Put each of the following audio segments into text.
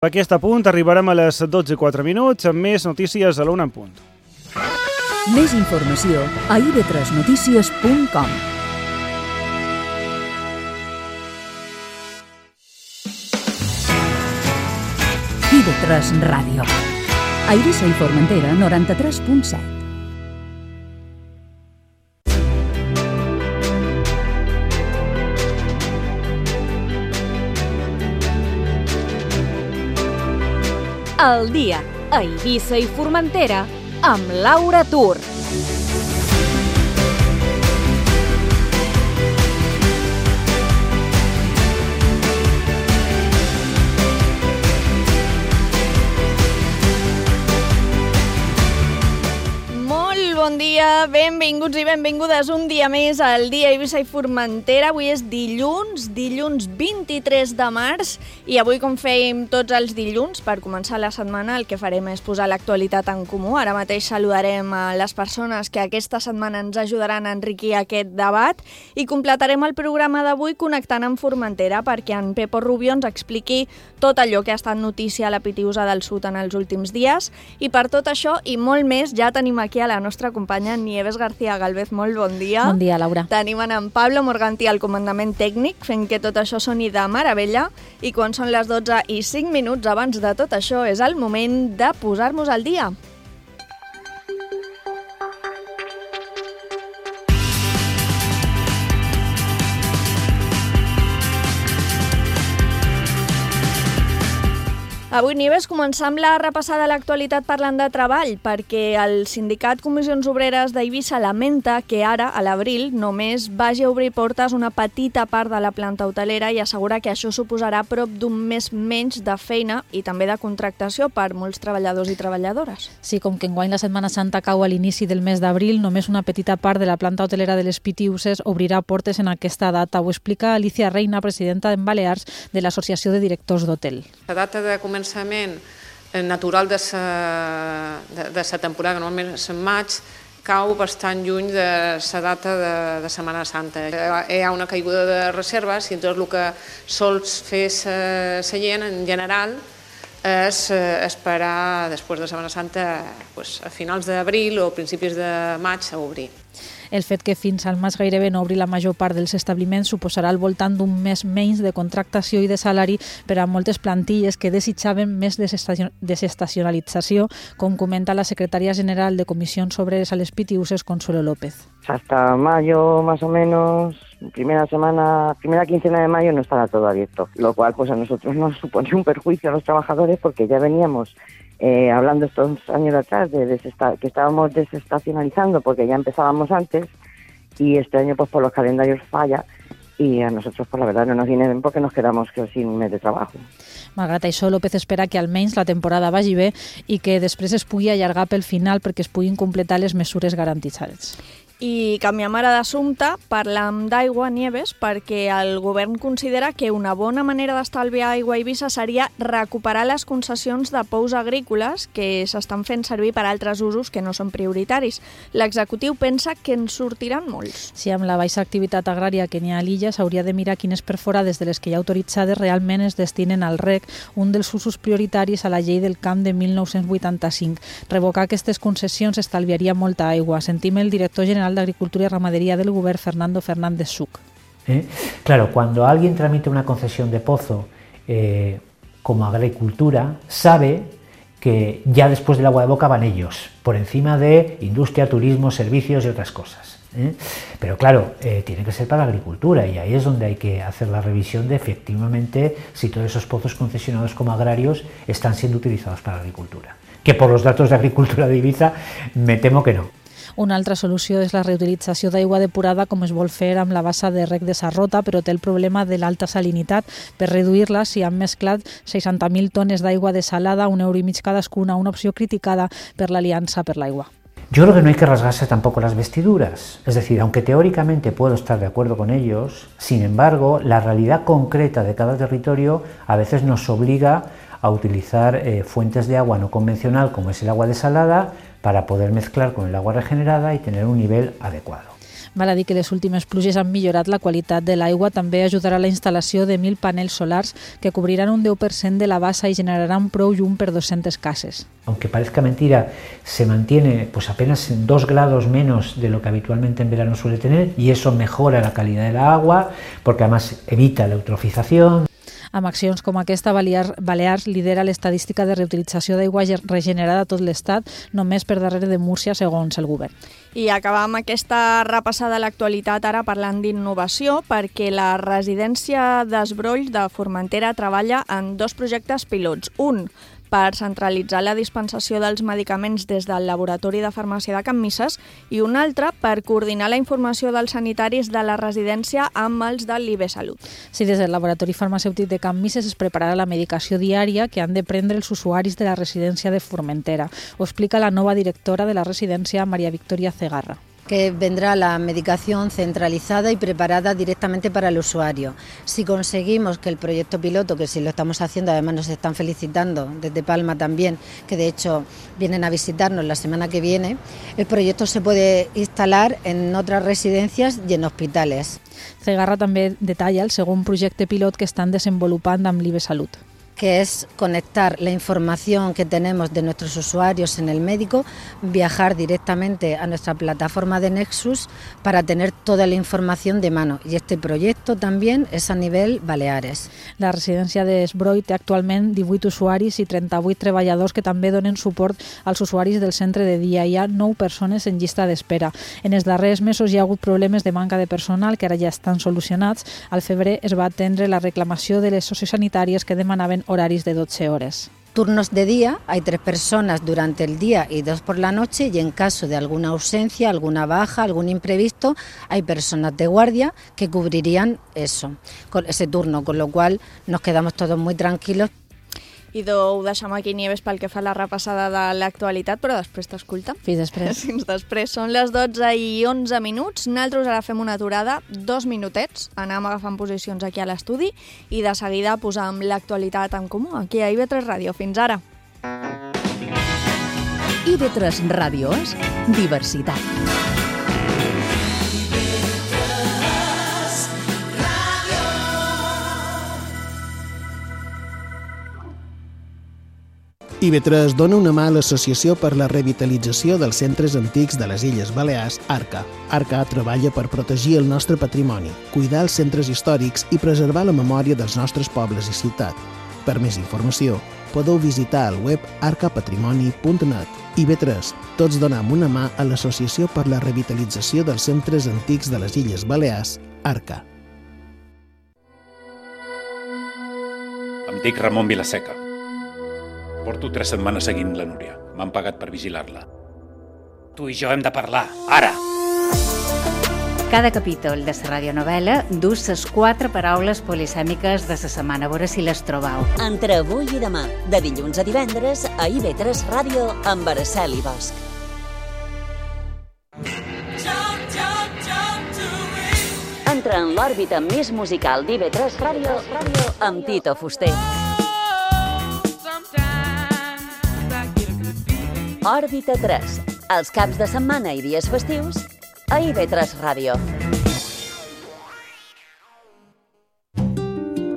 A aquest punt arribarem a les 12:04 amb més notícies a l'una en punt. Més informació a ib3notícies.com. IB3 Ràdio. A Eivissa i Formentera, 93.7. El dia a Eivissa i Formentera amb Laura Tur. Bon dia, benvinguts i benvingudes un dia més al dia Eivissa i Formentera. Avui és dilluns 23 de març i avui, com fèiem tots els dilluns, per començar la setmana el que farem és posar l'actualitat en comú. Ara mateix saludarem a les persones que aquesta setmana ens ajudaran a enriquir aquest debat i completarem el programa d'avui connectant amb Formentera perquè en Pepo Rubio ens expliqui tot allò que ha estat notícia a la Pitiusa del Sud en els últims dies. I per tot això i molt més ja tenim aquí a la nostra companya Nieves García Galvez. Molt bon dia. Bon dia, Laura. Tenim en Pablo Morganti al comandament tècnic fent que tot això soni de meravella i quan són les 12:05 abans de tot això és el moment de posar-nos al dia. Avui, Nieves, començar amb la repassada de l'actualitat parlant de treball, perquè el sindicat Comissions Obreres d'Eivissa lamenta que ara, a l'abril, només vagi a obrir portes una petita part de la planta hotelera i assegura que això suposarà prop d'un mes menys de feina i també de contractació per molts treballadors i treballadores. Sí, com que enguany la Setmana Santa cau a l'inici del mes d'abril, només una petita part de la planta hotelera de les Pitiuses obrirà portes en aquesta data. Ho explica Alicia Reina, presidenta en Balears de l'Associació de Directors d'Hotel. La data de començament natural de la temporada, que normalment és en maig, cau bastant lluny de la data de Setmana Santa. Hi ha una caiguda de reserves i tot el que sols fer la gent en general és esperar després de Setmana Santa a finals d'abril o principis de maig a obrir. El fet que fins al maig gairebé no obri la major part dels establiments suposarà al voltant d'un mes menys de contractació i de salari per a moltes plantilles que desitjaven més desestacionalització, com comenta la secretària general de Comissions Obreres a les Pitiuses, Consuelo López. Hasta mayo, más o menos, primera quincena de mayo no estará todo abierto, lo cual pues a nosotros nos supone un perjuicio a los trabajadores porque ya veníamos hablando estos años atrás de que estábamos desestacionalizando porque ya empezábamos antes y este año pues por los calendarios falla i a nosaltres, pues, la verdad, no nos viene bien porque nos quedamos sin un mes de trabajo. Malgrat això, López espera que almenys la temporada vagi bé i que després es pugui allargar pel final perquè es puguin completar les mesures garantitzades. I canviem ara d'assumpte, parlam d'aigua, Nieves, perquè el govern considera que una bona manera d'estalviar aigua a Eivissa seria recuperar les concessions de pous agrícoles que s'estan fent servir per altres usos que no són prioritaris. L'executiu pensa que en sortiran molts. Si amb la baixa activitat agrària que n'hi ha a l'illa s'hauria de mirar quines perforades de les que hi ha autoritzades realment es destinen al reg, un dels usos prioritaris a la llei del camp de 1985. Revocar aquestes concessions estalviaria molta aigua. Sentim el director general de Agricultura y Ramadería del Gobierno, Fernando Fernández Suc. Claro, cuando alguien tramite una concesión de pozo como agricultura, sabe que ya después del agua de boca van ellos, por encima de industria, turismo, servicios y otras cosas. Pero claro, tiene que ser para la agricultura y ahí es donde hay que hacer la revisión de efectivamente si todos esos pozos concesionados como agrarios están siendo utilizados para la agricultura. Que por los datos de agricultura de Eivissa me temo que no. Una altra solució és la reutilització d'aigua depurada com es vol fer amb la bassa de reg de Sarrota, però té el problema de l'alta salinitat. Per reduir-la s'hi han mesclat 60.000 tones d'aigua desalada, €1,5 cadascuna, una opció criticada per l'Aliança per l'Aigua. Yo creo que no hay que rasgarse tampoco las vestiduras. Es decir, aunque teóricamente puedo estar de acuerdo con ellos, sin embargo, la realidad concreta de cada territorio a veces nos obliga a utilizar fuentes de agua no convencional como es el agua desalada para poder mezclar con el agua regenerada y tener un nivel adecuado. Val a dir que les últimes pluges han millorat la qualitat de l'aigua. També ajudarà la instal·lació de 1.000 panells solars que cobriran un 10% de la bassa i generaran prou llum per 200 cases. Aunque parezca mentira, se mantiene pues apenas 2 grados menos de lo que habitualmente en verano suele tener, y eso mejora la calidad del agua porque además evita la eutrofización. Amb accions com aquesta, Balears lidera l'estadística de reutilització d'aigua regenerada a tot l'Estat, només per darrere de Múrcia, segons el govern. I acabam aquesta repassada a l'actualitat ara parlant d'innovació, perquè la residència d'Esbroll de Formentera treballa en 2 projectes pilots. Un, per centralitzar la dispensació dels medicaments des del laboratori de farmàcia de Can Misses, i un altre per coordinar la informació dels sanitaris de la residència amb els de l'IB Salut. Sí, des del laboratori farmacèutic de Can Misses es prepararà la medicació diària que han de prendre els usuaris de la residència de Formentera. Ho explica la nova directora de la residència, María Victoria Cegarra. Que vendrá la medicación centralizada y preparada directamente para el usuario. Si conseguimos que el proyecto piloto, que sí lo estamos haciendo, además nos están felicitando desde Palma también, que de hecho vienen a visitarnos la semana que viene, el proyecto se puede instalar en otras residencias y en hospitales. Cegarra també detalla el segon projecte pilot que estan desenvolupant amb l'IB Salut, que es conectar la información que tenemos de nuestros usuarios en el médico, viajar directamente a nuestra plataforma de Nexus para tener toda la información de mano. Y este proyecto también es a nivel Baleares. La residència d'Esbroll té actualment 18 usuaris i 38 treballadors que també donen suport als usuaris del centre de dia. Hi ha 9 persones en llista d'espera. En els darrers mesos hi ha hagut problemes de manca de personal que ara ja estan solucionats. Al febrer es va atendre la reclamació de les sociosanitàries que demanaven horaris de 12 horas. Turnos de día, hay 3 personas durante el día y 2 por la noche, y en caso de alguna ausencia, alguna baja, algún imprevisto, hay personas de guardia que cubrirían eso, con ese turno, con lo cual nos quedamos todos muy tranquilos. Idò, ho deixem aquí, Nieves, pel que fa a la repassada de l'actualitat, però després t'escolta. Fins després. Fins després. Són les 12:11. Nosaltres ara fem una aturada, 2 minutets, anem agafant posicions aquí a l'estudi i de seguida posam l'actualitat en comú aquí a IB3 Ràdio. Fins ara. IB3 Ràdio és diversitat. IB3 dona una mà a l'Associació per la Revitalització dels Centres Antics de les Illes Balears, ARCA. ARCA treballa per protegir el nostre patrimoni, cuidar els centres històrics i preservar la memòria dels nostres pobles i ciutat. Per més informació, podeu visitar el web arcapatrimoni.net. IB3, tots donem una mà a l'Associació per la Revitalització dels Centres Antics de les Illes Balears, ARCA. Em dic Ramon Vilaseca. Porto 3 setmanes seguint la Núria. M'han pagat per vigilar-la. Tu i jo hem de parlar, ara! Cada capítol de la radionovel·la du les 4 paraules polisèmiques de la setmana. A veure si les trobeu. Entre avui i demà, de dilluns a divendres, a IB3 Ràdio, amb Araceli Bosch. Entra en l'òrbita més musical d'IB3 Ràdio amb Tito Fuster. Òrbita 3, els caps de setmana i dies festius, a IB3 Ràdio.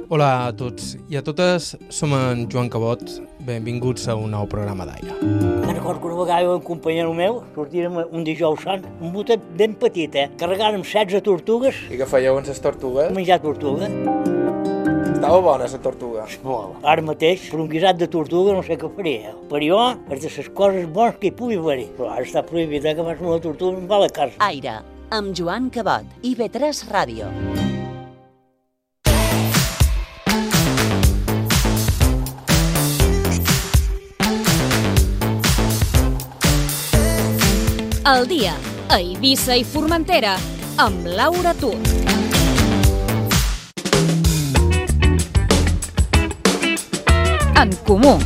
Hola a tots i a totes, som en Joan Cabot, benvinguts a un nou programa d'aire. Me'n recordo que una vegada un companyero meu sortirem un dijous sant, un botet ben petit, carregàrem 16 tortugues. I què fèieu amb les tortugues? Menjar tortuga. Estava bona, la tortuga. Molt. Ara mateix, per un guisat de tortuga no sé què faria. Per jo, és de les coses bones que hi pugui haver-hi. Però ara està prohibit que fas una tortuga em va a la casa. Aire, amb Joan Cabot, IB3 Ràdio. El dia, a Eivissa i Formentera, amb Laura Tur. En comú.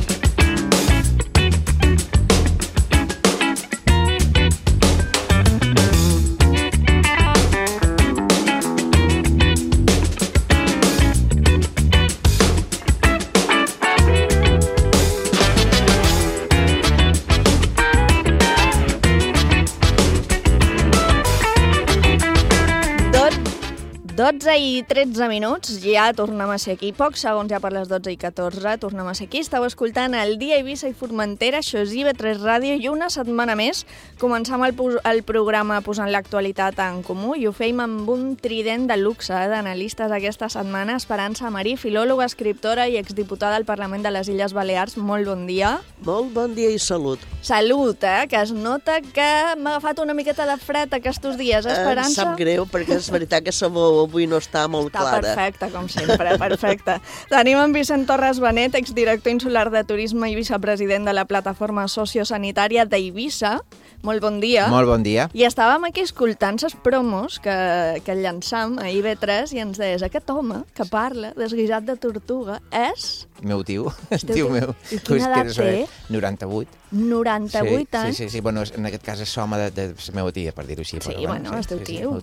12:13, ja tornem a ser aquí. Pocs segons ja per les 12:14, tornem a ser aquí. Estàu escoltant el Dia Eivissa i Formentera, això és IB3 Ràdio, i una setmana més començam el programa posant l'actualitat en comú i ho feim amb un trident de luxe d'analistes aquesta setmana. Esperança Marí, filòloga, escriptora i exdiputada al Parlament de les Illes Balears. Molt bon dia. Molt bon dia i salut. Salut, que es nota que m'ha agafat una miqueta de fred aquests dies, Esperança? Sap greu, perquè és veritat que la veu avui no està molt clara. Està perfecte, com sempre, perfecte. Tenim en Vicent Torres Benet, exdirector insular de turisme i vicepresident de la plataforma sociosanitària d'Eivissa. Molt bon dia. Molt bon dia. I estàvem aquí escoltant les promos que llançam a IB3 i ens deies, aquest home que parla desguisat de tortuga és... Meu tio, és tio meu. I quina edat té? 98. 98 anys? Sí. Bueno, en aquest cas és home de la meva tia, per dir-ho així. Sí, bueno, és teu tio.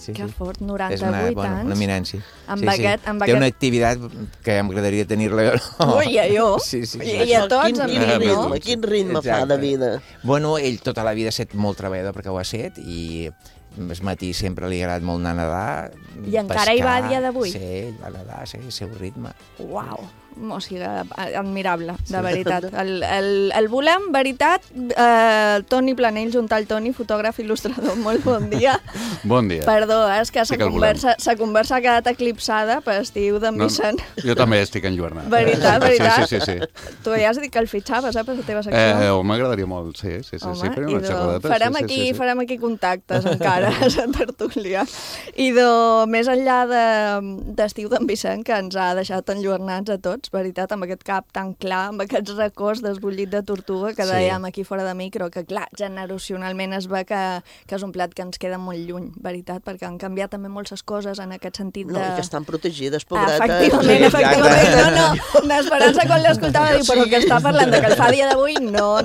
Que fort, 98 anys. Una eminència. Té una activitat que m'agradaria tenir-la. Ui, a jo. Sí. I a tots, Quin ritme fa de vida? Bueno, ell tota la vida ha estat molt treballador perquè ho ha estat i al matí sempre li ha agradat molt anar a nedar, I encara hi va a dia d'avui? Sí, ell va a nedar, sí, el seu ritme. Uau, o sigui, admirable, de veritat. El volem, veritat, Toni Planell, junt al Toni, fotògraf, il·lustrador, molt bon dia. Bon dia. Perdó, és que sa conversa ha quedat eclipsada per estiu d'en Vicent. Jo també estic enlluernat. Veritat. Sí. Tu ja has dit que el fitxaves, per la teva secció. M'agradaria molt, sí. Farem una xerradeta. Farem aquí contactes encara a la tertúlia. I més enllà d'estiu d'en Vicent, que ens ha deixat enlluernats a tots, veritat, amb aquest cap tan clar, amb aquests records desbullit de tortuga que dèiem aquí fora de micro, que clar, generacionalment es ve que és un plat que ens queda molt lluny, veritat, perquè han canviat també moltes coses en aquest sentit de... No, i que estan protegides, pobretes. Efectivament. No. L'Esperança, quan l'escoltava, diu, però que està parlant de que el fa dia d'avui, no,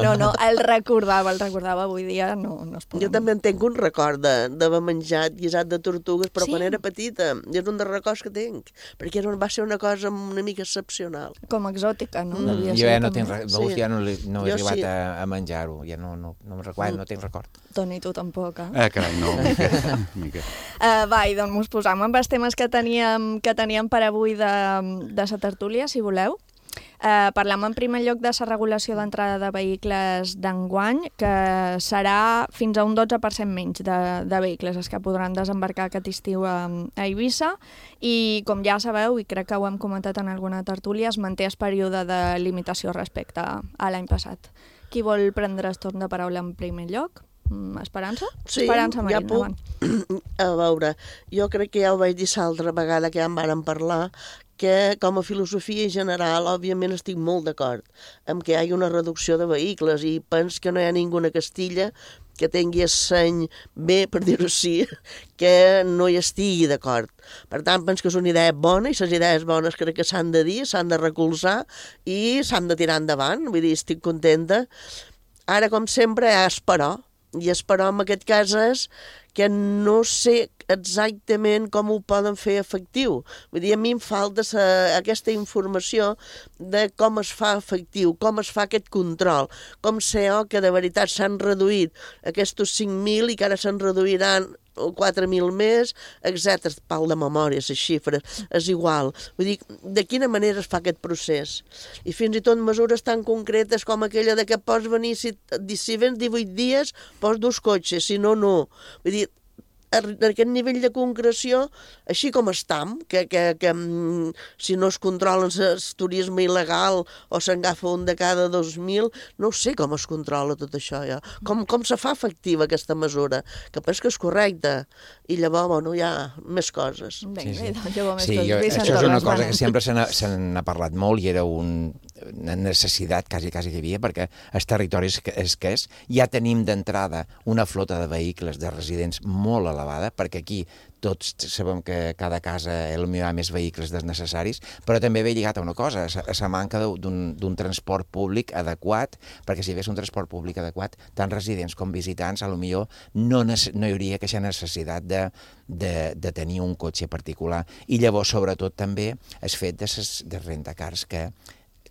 el recordava avui dia, no es pot. Jo també en tinc un record d'haver menjat guisat de tortugues, però quan era petita, és un dels records que tinc, perquè va ser una cosa una mica excepcional. Com exòtica, no? Jo ja no tinc record, ja no he arribat a menjar-ho, ja no me'n recordo, no tinc record. Toni, tu tampoc, carai, no, mica. Va, i doncs mos posam amb els temes que teníem per avui de la tertúlia, si voleu. Parlem en primer lloc de la regulació d'entrada de vehicles d'enguany, que serà fins a un 12% menys de vehicles els que podran desembarcar aquest estiu a Eivissa, i com ja sabeu, i crec que ho hem comentat en alguna tertúlia, es manté el període de limitació respecte a l'any passat. Qui vol prendre el torn de paraula en primer lloc? Esperança? Sí, Esperança, Marín, ja puc. A veure, jo crec que ja ho vaig dir l'altra vegada que ja en vàrem parlar, que com a filosofia general, òbviament estic molt d'acord amb que hi hagi una reducció de vehicles i penso que no hi ha ninguna Castilla que tingui el seny bé, per dir-ho així, que no hi estigui d'acord. Per tant, penso que és una idea bona i les idees bones crec que s'han de dir, s'han de recolzar i s'han de tirar endavant. Vull dir, estic contenta. Ara, com sempre, hi ha esperar. I esperar en aquest cas és que no sé exactament com ho poden fer efectiu. Vull dir, a mi em falta aquesta informació de com es fa efectiu, com es fa aquest control, com sé que de veritat s'han reduït aquests 5.000 i que ara se'n reduiran 4.000 més, etc. Pal de memòria, les xifres, és igual. Vull dir, de quina manera es fa aquest procés? I fins i tot mesures tan concretes com aquella de que pots venir, si vens 18 dies, pots 2 cotxes, si no, no. Vull dir, aquest nivell de concreció, així com estam, que si no es controla el turisme il·legal o se'n agafa un de cada 2.000, no sé com es controla tot això. Ja. Com se fa efectiva aquesta mesura? Que penso que és correcta. I llavors, bueno, hi ha més coses. Això és una cosa que sempre se n'ha parlat molt i era una necessitat quasi que hi havia, perquè el territori és que és. Ja tenim d'entrada una flota de vehicles de residents molt elevada, perquè aquí tots sabem que cada casa potser hi ha més vehicles desnecessaris, però també ve lligat a una cosa, a la manca d'un transport públic adequat, perquè si hi hagués un transport públic adequat, tant residents com visitants, potser no hi hauria aquesta necessitat de tenir un cotxe particular. I llavors, sobretot, també el fet de rentacars que,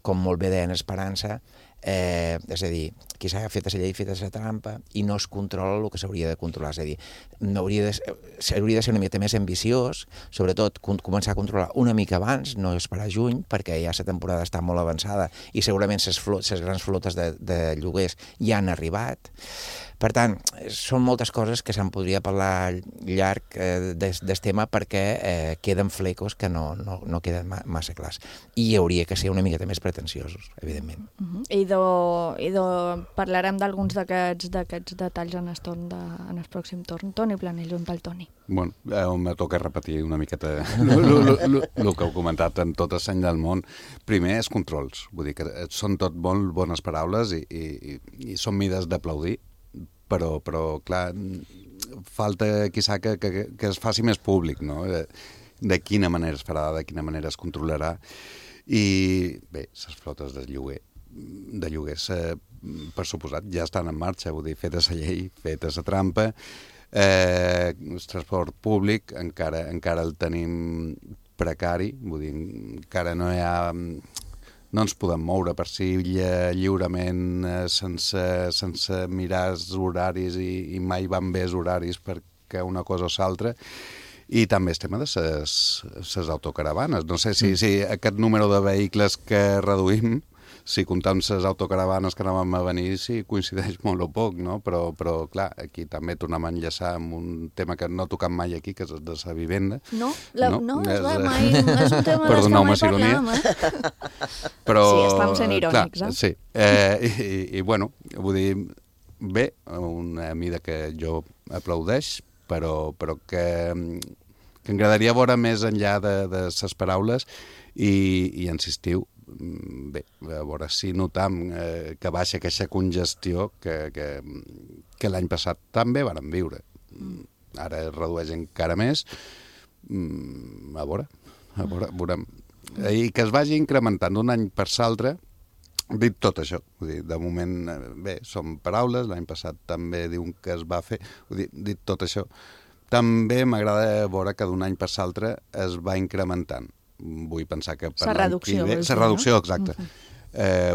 com molt bé deia en Esperança, és a dir, qui s'ha fet la llei, fet la trampa, i no es controla el que s'hauria de controlar. És a dir, s'hauria de ser una mica més ambiciós, sobretot començar a controlar una mica abans, no esperar juny, perquè ja la temporada està molt avançada i segurament les grans flotes de lloguers ja han arribat. Per tant, són moltes coses que se'n podria parlar llarg del tema perquè queden flecos que no queden massa clars. I hauria que ser una miqueta més pretensiosos, evidentment. I parlarem d'alguns d'aquests detalls en el pròxim torn. Toni Planell, on el Toni? Bueno, me toca repetir una miqueta el que heu comentat en tot el seny del món. Primer, els controls. Vull dir que són tot molt bones paraules i són mides d'aplaudir, però clar, falta quizà que es faci més públic, no? De quina manera es farà, de quina manera es controlarà. I bé, les flotes de lloguers, per suposat, ja estan en marxa, vull dir, feta la llei, feta la trampa. El transport públic encara el tenim precari, vull dir, encara no hi ha... No ens podem moure per si lliurement sense mirar els horaris i mai van bé els horaris perquè una cosa o l'altra. I també el tema de les autocaravanes. No sé si aquest número de vehicles que reduïm, si comptam les autocaravanes que anaven a venir, si coincideix molt o poc, no? Però clar, aquí també tornem a enllaçar amb un tema que no tocam mai aquí, que és el de la vivenda. No, és un tema que mai parlem, Però, sí, estem sent irònics, clar, sí. I bueno, vull dir, bé, una mida que jo aplaudeix, però que m'agradaria veure més enllà de les paraules i insistiu, bé, a veure si notam que baixa aquesta congestió que l'any passat també vàrem viure. Ara es redueix encara més. A veure, veurem. I que es vagi incrementant d'un any per l'altre, dit tot això. Vull dir, de moment, bé, són paraules, l'any passat també diuen que es va fer, vull dir, dit tot això. També m'agrada veure que d'un any per l'altre es va incrementant. Vull pensar que per l'any que ve... La reducció, exacte.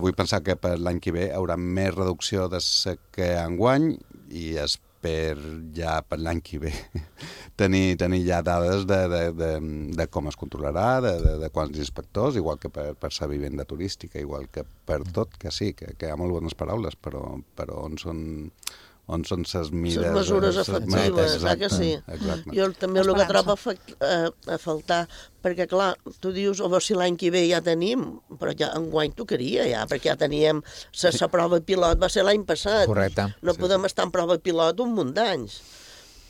Vull pensar que per l'any que ve hi haurà més reducció de que enguany i ja per l'any que ve tenir ja dades de com es controlarà, de quants inspectors, igual que per la vivenda turística, igual que per tot, que sí, que hi ha molt bones paraules, però on són les mides... Les mesures efectives, que sí. Exacte. Jo també el que trobo a faltar, perquè clar, tu dius, si l'any que ve ja tenim, però ja enguany tocaria ja, perquè ja teníem, la prova pilot va ser l'any passat. Correcte. No podem estar en prova pilot un munt d'anys.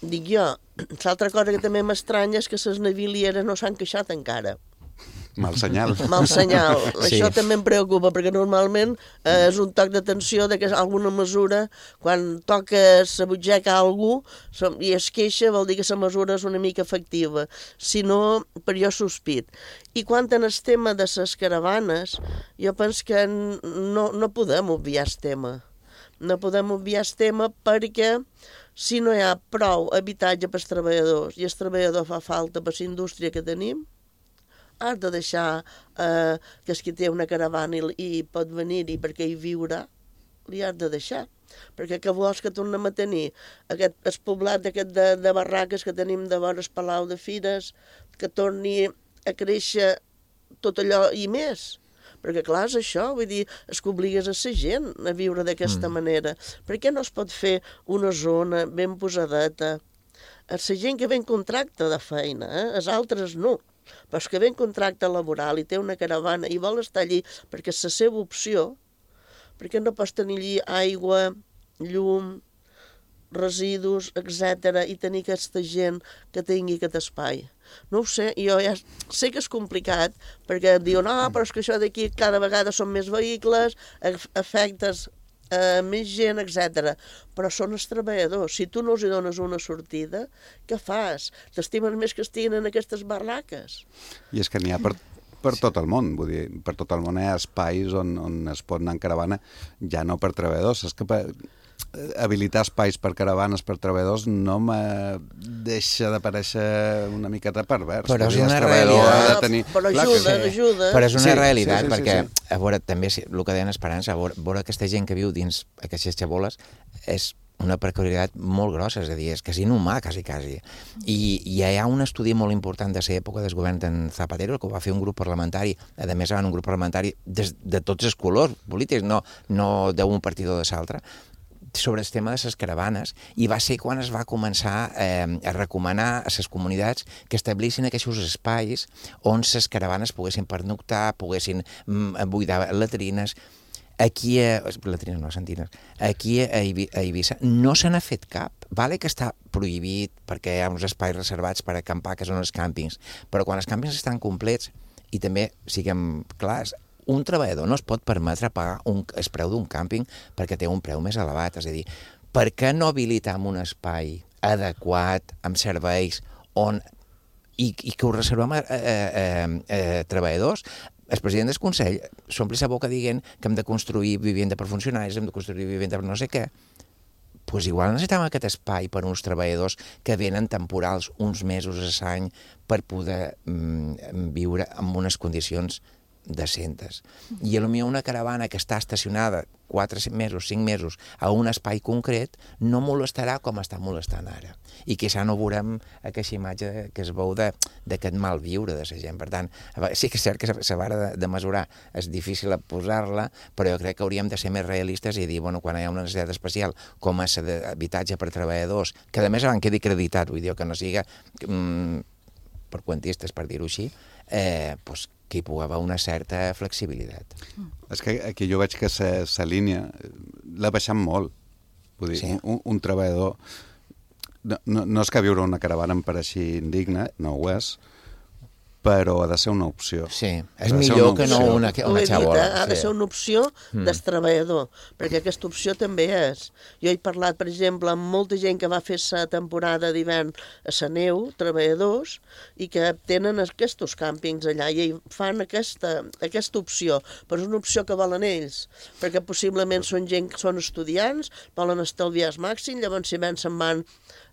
Dic jo, l'altra cosa que també m'estranya és que les navilieres no s'han queixat encara. Mal senyal. Mal senyal. Sí. Això també em preocupa, perquè normalment és un toc d'atenció de que alguna mesura, quan toca la butxaca a algú i es queixa, vol dir que la mesura és una mica efectiva. Si no, per jo sospit. I quant en el tema de les caravanes, jo penso que no podem obviar el tema. No podem obviar el tema perquè si no hi ha prou habitatge per als treballadors i el treballador fa falta per la indústria que tenim, has de deixar que el que té una caravana i pot venir-hi perquè hi viurà, li has de deixar. Perquè què vols que tornem a tenir? El poblat de barraques que tenim de vora el Palau de Fires, que torni a créixer tot allò i més. Perquè clar, és això, vull dir, és que obligues a la gent a viure d'aquesta manera. Per què no es pot fer una zona ben posadeta? La gent que ve en contracte de feina, els altres no. Però és que ve en contracte laboral i té una caravana i vol estar allí perquè és la seva opció, perquè no pots tenir allí aigua, llum, residus, etc. i tenir aquesta gent que tingui aquest espai. No ho sé, jo ja sé que és complicat, perquè diuen, però és que això d'aquí cada vegada són més vehicles, afectes més gent, etc. Però són els treballadors. Si tu no els dones una sortida, què fas? T'estimen més que estiguin en aquestes barraques. I és que n'hi ha per tot el món, vull dir, per tot el món hi ha espais on es pot anar en caravana, ja no per treballadors, és que habilitar espais per caravanes, per treballadors, no me deixa de parèixer una miqueta pervers. Però és una realitat. Però ajuda. Però és una realitat, perquè, a veure, també el que deien Esperança, a veure aquesta gent que viu dins aquestes xaboles és una precarietat molt grossa, és a dir, és quasi inhumà, quasi. I hi ha un estudi molt important de l'època del govern d'en Zapatero, que ho va fer un grup parlamentari, a més un grup parlamentari de tots els colors polítics, no d'un partit o de l'altre, sobre el tema de les caravanes, i va ser quan es va començar a recomanar a les comunitats que establissin aquests espais on les caravanes poguessin pernoctar, poguessin buidar latrines. Aquí a Eivissa no se n'ha fet cap. Vale que està prohibit perquè hi ha uns espais reservats per acampar, que són els càmpings, però quan els càmpings estan complets, i també siguem clars, un treballador no es pot permetre pagar el preu d'un càmping perquè té un preu més elevat. És a dir, per què no habilitar un espai adequat, amb serveis, i que ho reservem a treballadors? El president del Consell s'ompli la boca dient que hem de construir vivenda per funcionaris, hem de construir vivenda per no sé què. Doncs igual necessitem aquest espai per uns treballadors que venen temporals uns mesos a l'any per poder viure en unes condicions decentes. I potser una caravana que està estacionada 4 mesos, 5 mesos a un espai concret no molestarà com està molestant ara. I quizà no veurem aquesta imatge que es veu d'aquest mal viure de la gent. Per tant, sí que és cert que la vara de mesurar és difícil posar-la, però jo crec que hauríem de ser més realistes i dir, bueno, quan hi ha una necessitat especial com és l'habitatge per treballadors, que a més quedi acreditat, vull dir, que no siga per quantistes, per dir-ho així, doncs que hi pugui haver una certa flexibilitat. És que aquí jo veig que la línia l'ha baixat molt. Vull dir, un treballador... No és que viure una caravana em pareixi indigne, no ho és, però ha de ser una opció. Sí, és millor que no una xabola. Ha de ser una opció del treballador, perquè aquesta opció també és. Jo he parlat, per exemple, amb molta gent que va fer la temporada d'hivern a la neu, treballadors, i que tenen aquests càmpings allà i fan aquesta opció, però és una opció que volen ells, perquè possiblement són gent que són estudiants, volen estalviar el màxim, llavors si se'n van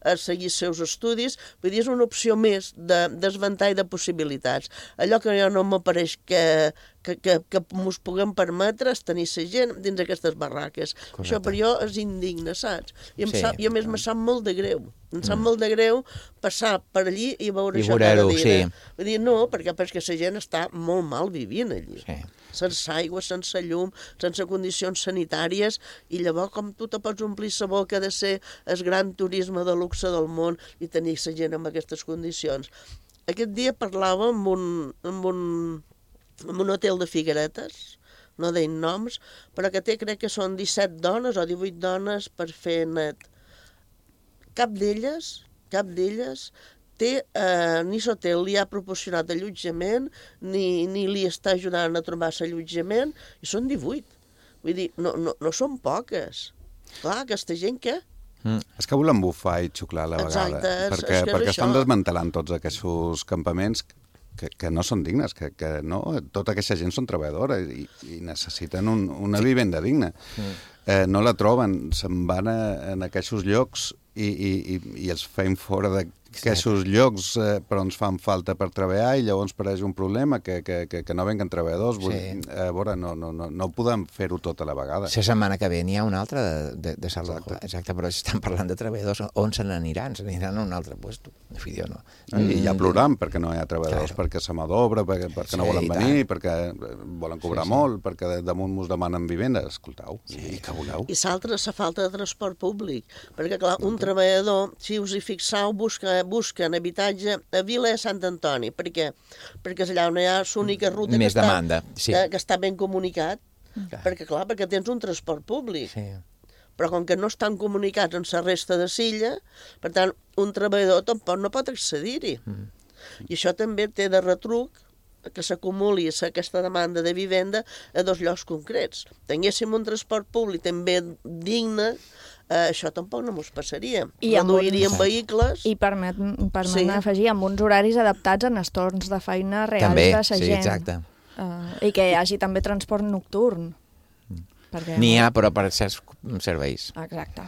a seguir els seus estudis, vull dir, és una opció més de desventall de possibilitats. Allò que jo no m'apareix que ens puguem permetre és tenir la gent dins aquestes barraques. Correcte. Això per jo és indigne, saps? I a més me sap molt de greu. Em sap molt de greu passar per allí i veure això cada dia. Sí. Vull dir, no, perquè la gent està molt mal vivint allí. Sí. Sense aigua, sense llum, sense condicions sanitàries, i llavors com tu te pots omplir la boca de ser el gran turisme de luxe del món i tenir la gent en aquestes condicions. Aquest dia parlava amb un hotel de Figueretes, no deien noms, però que crec que són 17 dones o 18 dones per fer net. Cap d'elles ni l'hotel li ha proporcionat allotjament, ni li està ajudant a trobar l'allotjament, i són 18. Vull dir, no són poques. Clar, aquesta gent què? És que volen bufar i xuclar a la vegada. Exacte, perquè estan desmantelant tots aquests campaments que no són dignes, que no, tota aquesta gent són treballadores i necessiten una vivenda digna. No la troben, se'n van en aquests llocs i els feim fora d'aquests llocs però ens fan falta per treballar i llavors pareix un problema que no venguen treballadors. A veure, no podem fer-ho tot a la vegada. La setmana que ve n'hi ha una altra de Salvador. Exacte, però estan parlant de treballadors. On se n'aniran? Se n'aniran a un altre lloc. I ja plorant perquè no hi ha treballadors, perquè se mà d'obra, perquè no volen venir, perquè volen cobrar molt, perquè damunt ens demanen vivenda. Escoltau, i que voleu? I l'altre és la falta de transport públic, perquè clar, un treballador, si us hi fixeu, busquen habitatge a Vila de Sant Antoni. Per què? Perquè és allà on hi ha l'única ruta que està ben comunicat. Perquè tens un transport públic. Però com que no estan comunicats amb la resta de l'illa, per tant, un treballador tampoc no pot accedir-hi. I això també té de retruc que s'acumuli aquesta demanda de vivenda a dos llocs concrets. Tinguéssim un transport públic també digne, això tampoc no ens passaria. Reduiríem vehicles... I permet afegir amb uns horaris adaptats en els torns de feina reals de la gent. Exacte. I que hi hagi també transport nocturn. N'hi ha, però per certs serveis. Exacte.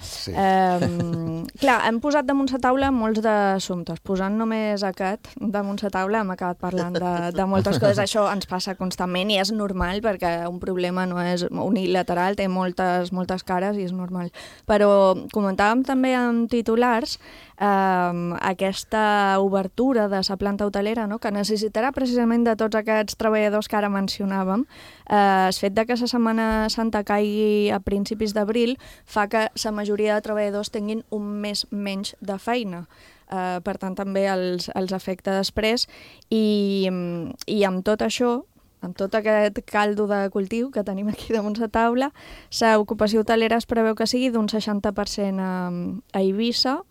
Sí. Clar, hem posat damunt la taula molts d'assumptes. Posant només aquest damunt la taula hem acabat parlant de moltes coses. Això ens passa constantment i és normal perquè un problema no és unilateral, té moltes cares i és normal. Però comentàvem també en titulars aquesta obertura de la planta hotelera, no? Que necessitarà precisament de tots aquests treballadors que ara mencionàvem. El fet de que la Setmana Santa caigui a principis d'abril fa que la majoria de treballadors tinguin un mes menys de feina. Per tant, també els afecta després i amb tot això, amb tot aquest caldo de cultiu que tenim aquí damunt la taula, l'ocupació hotelera es preveu que sigui d'un 60% a Eivissa,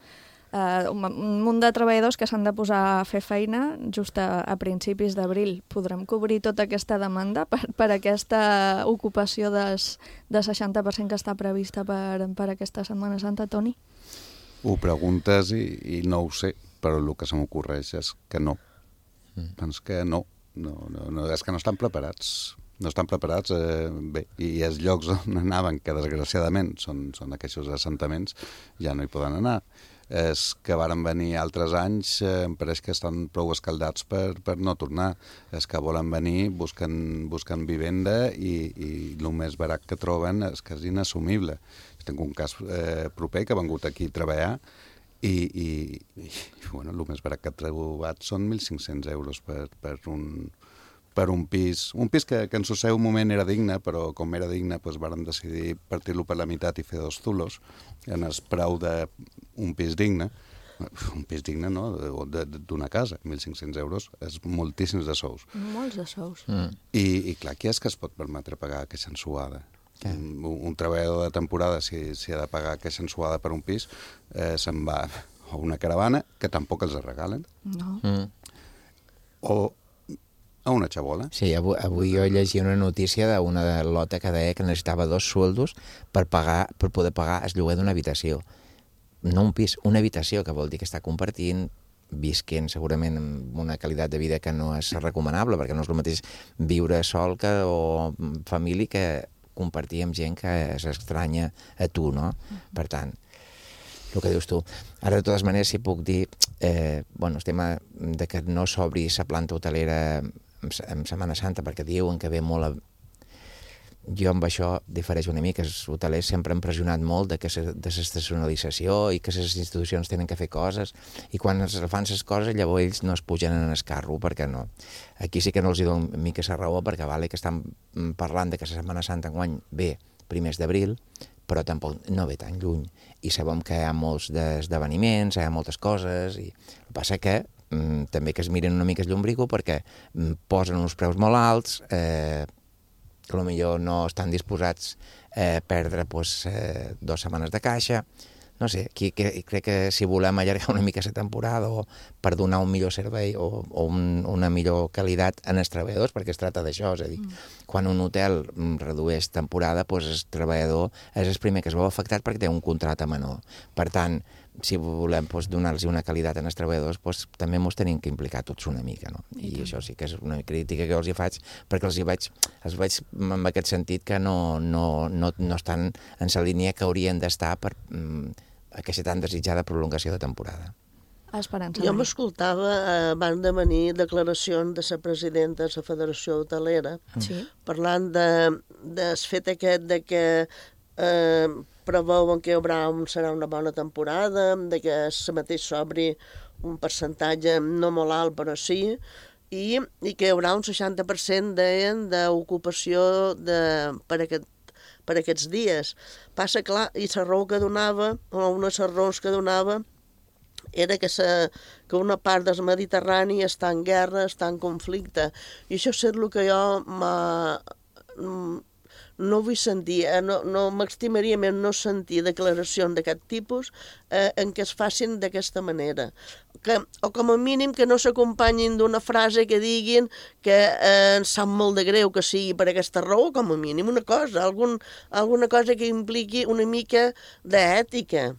un munt de treballadors que s'han de posar a fer feina just a principis d'abril. Podrem cobrir tota aquesta demanda per aquesta ocupació del 60% que està prevista per aquesta Setmana Santa, Toni? Ho preguntes i no ho sé, però el que se m'ocorreix és que no. Doncs que no. És que no estan preparats. No estan preparats, bé, i els llocs on anaven, que desgraciadament són aquests assentaments, ja no hi poden anar. És que varen venir altres anys, em pareix que estan prou escaldats per no tornar. És que volen venir, busquen vivenda i el més barat que troben és que és inassumible. Tinc un cas proper que ha vengut aquí a treballar i bueno, el més barat que ha trobat són 1.500 euros per un pis. Un pis que en el seu moment era digne, però com era digne doncs varen decidir partir-lo per la meitat i fer 2 zulos en el preu d'un pis digne. Un pis digne, no?, d'una casa. 1.500 euros és moltíssims de sous. Molts de sous. I clar, qui és que es pot permetre pagar aquesta ensuada? Un treballador de temporada, si ha de pagar aquesta ensuada per un pis, se'n va a una caravana, que tampoc els regalen. No. O a una xabola. Sí, avui jo llegia una notícia d'una lota que deia que necessitava 2 sueldos per poder pagar el lloguer d'una habitació. No un pis, una habitació, que vol dir que està compartint, visquent segurament amb una qualitat de vida que no és recomanable, perquè no és el mateix viure sol o família que compartir amb gent que s'estranya a tu, no? Per tant, el que dius tu. Ara, de totes maneres, si puc dir, el tema de que no s'obri la planta hotelera en Setmana Santa, perquè diuen que ve molt a... Jo amb això difereix una mica. Els hotelers sempre han pressionat molt de l'estacionalització i que les institucions tenen que fer coses, i quan es fan les coses llavors ells no es pugen en el carro, perquè no. Aquí sí que no els dono una mica la raó, perquè vale que estan parlant de que la Setmana Santa enguany ve primers d'abril, però tampoc no ve tan lluny. I sabem que hi ha molts esdeveniments, hi ha moltes coses, i el que passa que també que es miren una mica el llombrigo, perquè posen uns preus molt alts, que potser no estan disposats a perdre 2 setmanes de caixa. No sé, crec que si volem allargar una mica la temporada o per donar un millor servei o una millor qualitat en els treballadors, perquè es tracta d'això, és a dir, quan un hotel redueix temporada, doncs el treballador és el primer que es veu afectat perquè té un contracte menor. Per tant, si volem donar-los una qualitat als treballadors, també ens tenim que implicar tots una mica, no? I això sí que és una crítica que els hi faig, perquè els veig en aquest sentit que no estan en la línia que haurien d'estar per aquesta tan desitjada prolongació de temporada. Esperança. Jo m'escoltava abans de venir declaracions de la presidenta de la Federació Hotelera, parlant del fet aquest de que preveuen que serà una bona temporada, de que la mateix s'obri un percentatge no molt alt, però sí, i que hi haurà un 60% d'ocupació per aquests dies. Passa, clar, i la raó que donava, o una de les raons que donava, era que una part del Mediterrani està en guerra, està en conflicte. I això és el que jo no vull sentir, no m'estimaria més no sentir declaracions d'aquest tipus en què es facin d'aquesta manera. O com a mínim que no s'acompanyin d'una frase que diguin que ens sap molt de greu que sigui per aquesta raó, com a mínim una cosa, alguna cosa que impliqui una mica d'ètica.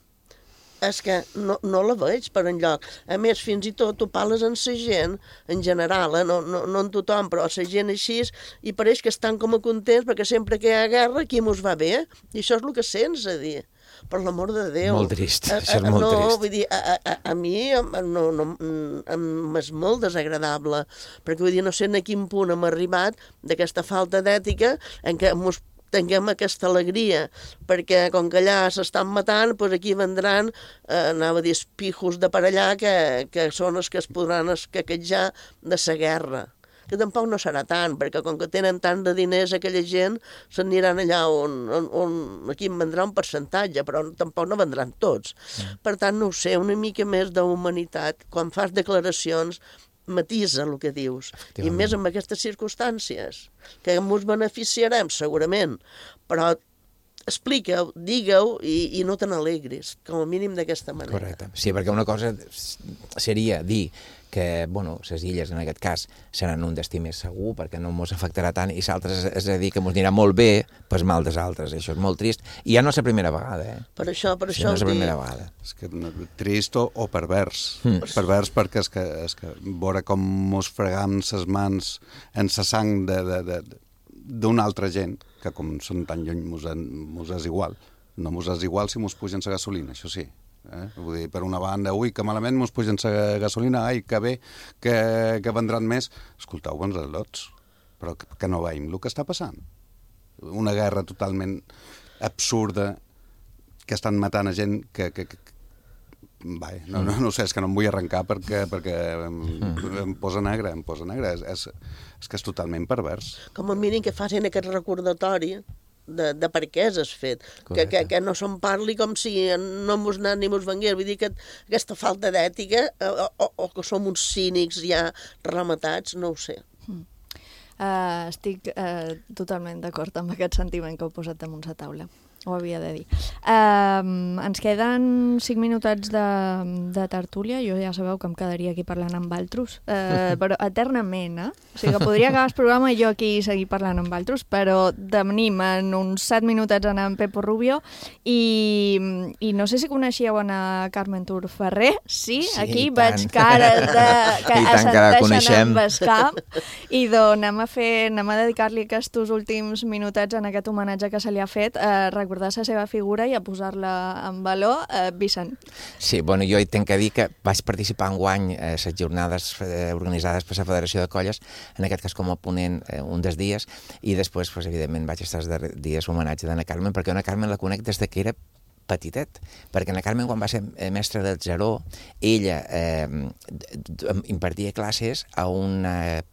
és que no la veig per enlloc. A més, fins i tot tu parles amb la gent, en general, no en tothom, però la gent així, i pareix que estan com a contents perquè sempre que hi ha guerra aquí mos va bé, i això és el que sents a dir. Per l'amor de Déu. Molt trist, això és molt trist. No, vull dir, a mi és molt desagradable, perquè vull dir, no sé a quin punt hem arribat d'aquesta falta d'ètica en què mos tinguem aquesta alegria, perquè com que allà s'estan matant, doncs aquí vendran, anava a dir, espijos de per allà, que són els que es podran escaquejar de la guerra. Que tampoc no serà tant, perquè com que tenen tant de diners aquella gent, s'aniran allà on aquí en vendrà un percentatge, però tampoc no vendran tots. Per tant, no ho sé, una mica més d'humanitat. Quan fas declaracions, matisa el que dius, i més en aquestes circumstàncies, que ens beneficiarem segurament, però explica-ho, digue-ho i no te n'alegris, com a mínim d'aquesta manera. Correcte. Sí, perquè una cosa seria dir que, bueno, les illes en aquest cas seran un destí més segur perquè no ens afectarà tant, i l'altre és a dir que ens anirà molt bé pel mal dels altres. Això és molt trist, i ja no és la primera vegada. Per això no és la primera vegada. És que trist o pervers. Pervers perquè és que veure com mos fregam ses mans en sa sang d'una altra gent, que com són tan lluny mos és igual. No mos és igual si mos pugen la gasolina, això sí. Vull dir, per una banda, ui, que malament mos pugen la gasolina, ai, que bé, que vendran més. Escolteu, bons al·lots, però que no veiem el que està passant. Una guerra totalment absurda, que estan matant a gent que no sé, és que no em vull arrencar perquè em posa negre, és que és totalment pervers. Com a mínim que facin aquest recordatori de per què has fet, que no se'n parli com si no mos anat ni mos vengués. Vull dir que aquesta falta d'ètica o que som uns cínics ja rematats, no ho sé. Estic totalment d'acord amb aquest sentiment que heu posat damunt la taula. Ho havia de dir. Ens queden 5 minutets de tertúlia. Jo ja sabeu que em quedaria aquí parlant amb altres, però eternament, O sigui que podria acabar el programa i jo aquí seguir parlant amb altres, però tenim en uns 7 minutets en Pepo Rubio i no sé si coneixíeu a Carmen Tur Ferrer. Sí, aquí veig cares que assenteixen amb el cap. I doncs anem a dedicar-li aquests últims minutets en aquest homenatge que se li ha fet, recordar la seva figura i a posar-la en valor. Vicent. Sí, bueno, jo tinc que dir que vaig participar enguany a les jornades organitzades per la Federació de Colles, en aquest cas com a ponent un dels dies, i després, evidentment, vaig estar els dies homenatge d'Anna Carmen, perquè Anna Carmen la conec des que era petitet, perquè Anna Carmen, quan va ser mestra del Zeró, ella impartia classes a una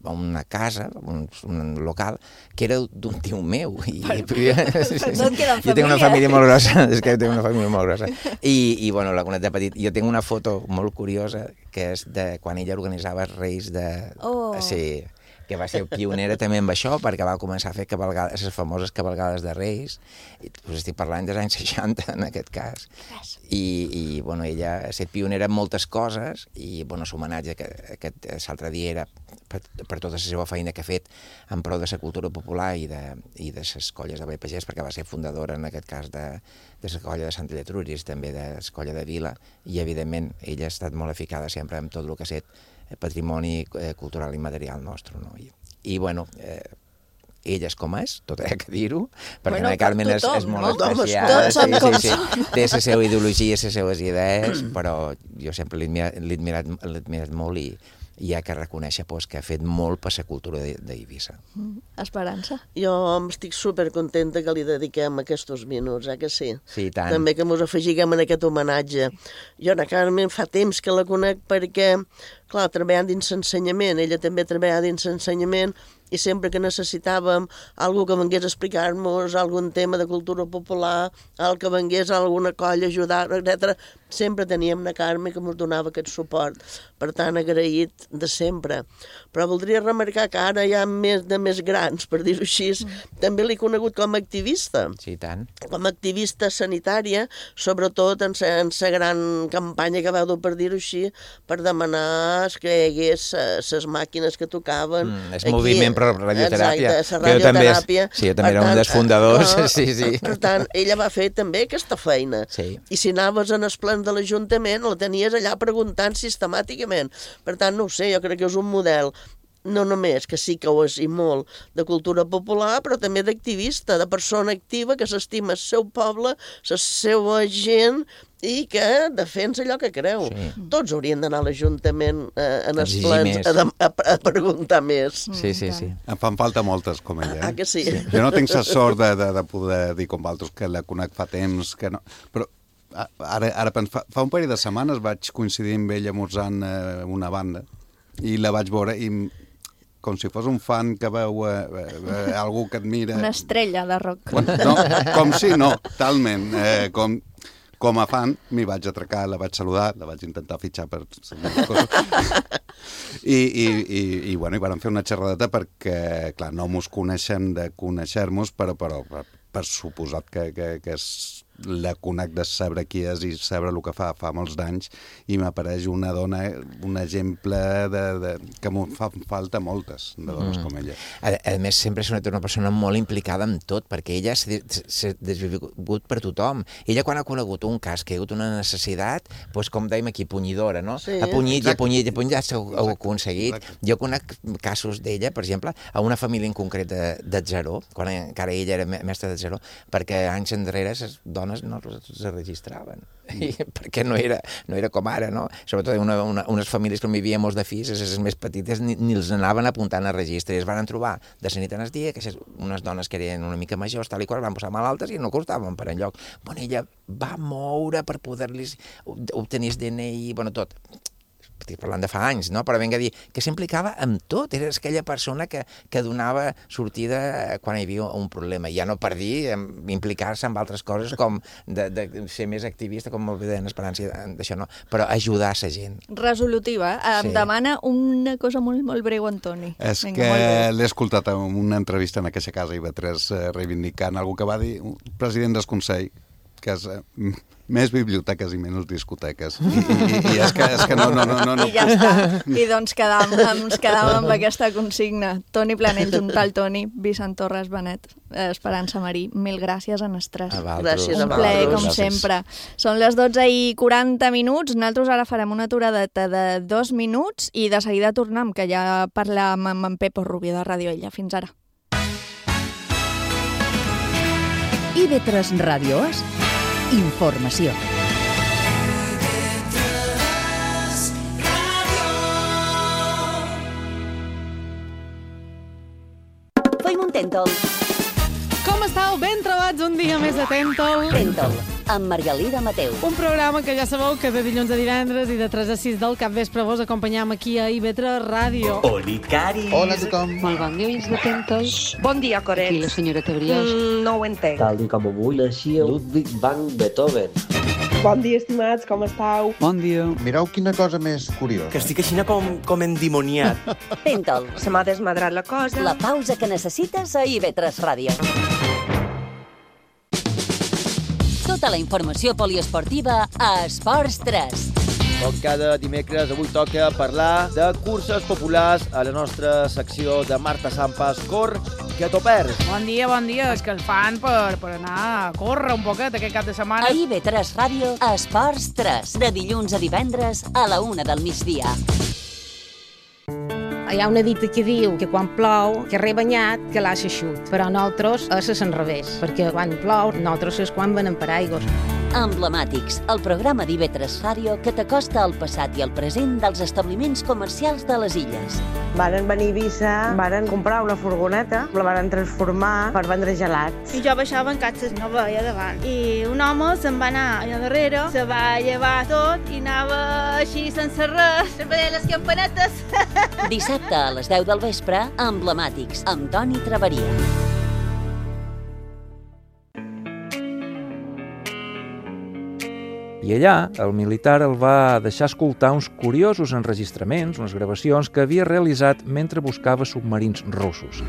casa, un local, que era d'un tio meu. Jo tinc una família molt grossa, és que tinc una família molt grossa. I bueno, la conec de petit. Jo tinc una foto molt curiosa, que és de quan ella organitzava els Reis de... Sí, que va ser pionera també amb això, perquè va començar a fer les famoses cavalgades de Reis. Estic parlant dels anys 60, en aquest cas. I bueno, ella ha estat pionera en moltes coses, i l'homenatge que l'altre dia era per tota la seva feina que ha fet en prou de la cultura popular i de les colles de Vall Pagès, perquè va ser fundadora, en aquest cas, de la colla de Sant Lletruris, també de la colla de Vila, i evidentment ella ha estat molt eficada sempre amb tot el que ha estat patrimoni cultural i material nostre, no? I bueno, ella és com és, tot ha que dir-ho, perquè Anna Carmen és molt especial, té la seva ideologia, les seves idees, però jo sempre l'he admirat molt i ha que reconèixer que ha fet molt per la cultura d'Eivissa. Esperança? Jo estic supercontenta que li dediquem aquests minuts, que sí? Sí, tant. També que ens afegiguem en aquest homenatge. Jo, Anna Carmen, fa temps que la conec perquè, clar, treballant dins l'ensenyament, ella també treballa dins l'ensenyament, i sempre que necessitàvem algú que vengués a explicar-nos algun tema de cultura popular, el que vengués a alguna colla a ajudar, etc., sempre teníem Anna Carme que ens donava aquest suport. Per tant, agraït de sempre. Però voldria remarcar que ara hi ha més grans, per dir-ho així, també l'he conegut com a activista. Sí, tant. Com a activista sanitària, sobretot en la gran campanya que va dur, per dir-ho així, per demanar que hi hagués les màquines que tocaven. El moviment radioteràpia. Exacte, la radioteràpia. Sí, jo també era un dels fundadors. Sí. Per tant, ella va fer també aquesta feina. Sí. I si anaves en els plens de l'Ajuntament, la tenies allà preguntant sistemàticament. Per tant, no ho sé, jo crec que és un model no només que sí que ho és i molt de cultura popular, però també d'activista, de persona activa que s'estima el seu poble, la seva gent i que defensa allò que creu. Sí. Tots haurien d'anar a l'Ajuntament en els plens a preguntar més. Sí. Em fan falta moltes com ella. Ah, que sí? Jo no tinc la sort de poder dir com vosaltres que la conec fa temps, que no... Però ara fa un parell de setmanes vaig coincidir amb ella esmorzant una banda i la vaig veure i com si fos un fan que veu algú que admira... Una estrella de rock. No, com si no, talment. Com a fan, m'hi vaig atracar, la vaig saludar, la vaig intentar fitxar per... I vam fer una xerradeta perquè, clar, no mos coneixem de conèixer-nos, però per suposat que la conec de saber qui és i saber el que fa molts d'anys, i m'apareix una dona, un exemple que m'ho fa falta moltes de dones com ella. A més, sempre és una persona molt implicada en tot, perquè ella s'ha desvingut per tothom. Ella, quan ha conegut un cas que hi ha hagut una necessitat, doncs, com dèiem aquí, punyidora, no? Ha punyit, ja s'ho ha aconseguit. Jo conec casos d'ella, per exemple, a una família en concret de Zero, quan encara ella era mestra de Zero, perquè anys enrere les dones no se registraven, perquè no era com ara, no? Sobretot unes famílies que no hi havia molts de fills, les més petites ni els anaven apuntant a registre, i es van trobar de la nit en el dia que unes dones que eren una mica majors, tal i qual, van posar malaltes i no costaven per enlloc. Bueno, ella va moure per poder-los obtenir el DNI, bueno, tot. Estic parlant de fa anys, no? Però vinga a dir que s'implicava amb tot. Era aquella persona que donava sortida quan hi havia un problema. Ja no per dir implicar-se en altres coses com de ser més activista, com molt bé deien Esperança, d'això no, però ajudar la gent. Resolutiva. Em demana una cosa molt, molt breu, Antoni. És que l'he escoltat en una entrevista en aquesta casa IB3 reivindicant algú que va dir un president del Consell, que és més biblioteques i menys discoteques. I és que no. I ja està. I doncs ens quedàvem amb aquesta consigna. Toni Planell, Juntal Toni, Vicent Torres Benet, Esperança Marí, mil gràcies a nosaltres. Gràcies a un plaer, com sempre. Són les 12:40. Nosaltres ara farem una aturadeta de 2 minuts i de seguida tornem, que ja parlem amb en Pepo Rubio de Ràdio Ella. Fins ara. IB3 Ràdios, informació. Feim un Tèntol. Com estàu? Ben trobats un dia més de Tèntol. Tèntol, amb Margalida Mateu. Un programa que ja sabeu que de dilluns a divendres i de 3 a 6 del capvespre vos acompanyam aquí a IB3 Ràdio. Oli, Cari. Hola a tothom. Molt bon dia, oients de Tèntol. Bon dia, Coret. Aquí la senyora Tebriós. No ho entenc. Tal i com avui naixia Ludwig van Beethoven. Bon dia, estimats, com estàu? Bon dia. Mireu quina cosa més curiosa. Que estic així com endimoniat. Tèntol. Se m'ha desmadrat la cosa. La pausa que necessites a IB3 Ràdio. Tota la informació poliesportiva a Esports 3. Com cada dimecres, avui toca parlar de curses populars a la nostra secció de Marta Sampas. Cor, que t'ho perds. Bon dia. És que el fan per anar a córrer un poquet aquest cap de setmana. A IB3 Ràdio, Esports 3. De dilluns a divendres a la 1 del migdia. Hi ha una dita que diu que quan plou, que rebanyat, que l'aixa xut. Però nosaltres és al revés, perquè quan plou, nosaltres és quan venen per aigües. Emblemàtics, el programa d'IB3 Ràdio que t'acosta al passat i al present dels establiments comercials de les illes. Varen venir a Eivissa, varen comprar una furgoneta, la varen transformar per vendre gelats. I jo baixava en catxes, no veia davant. I un home se'n va anar allà darrere, se va llevar tot i anava així sense res, sempre deia les campanetes. Dissabte a les 10 del vespre, Emblemàtics, amb Toni Traveria. I allà, el militar el va deixar escoltar uns curiosos enregistraments, unes gravacions que havia realitzat mentre buscava submarins russos.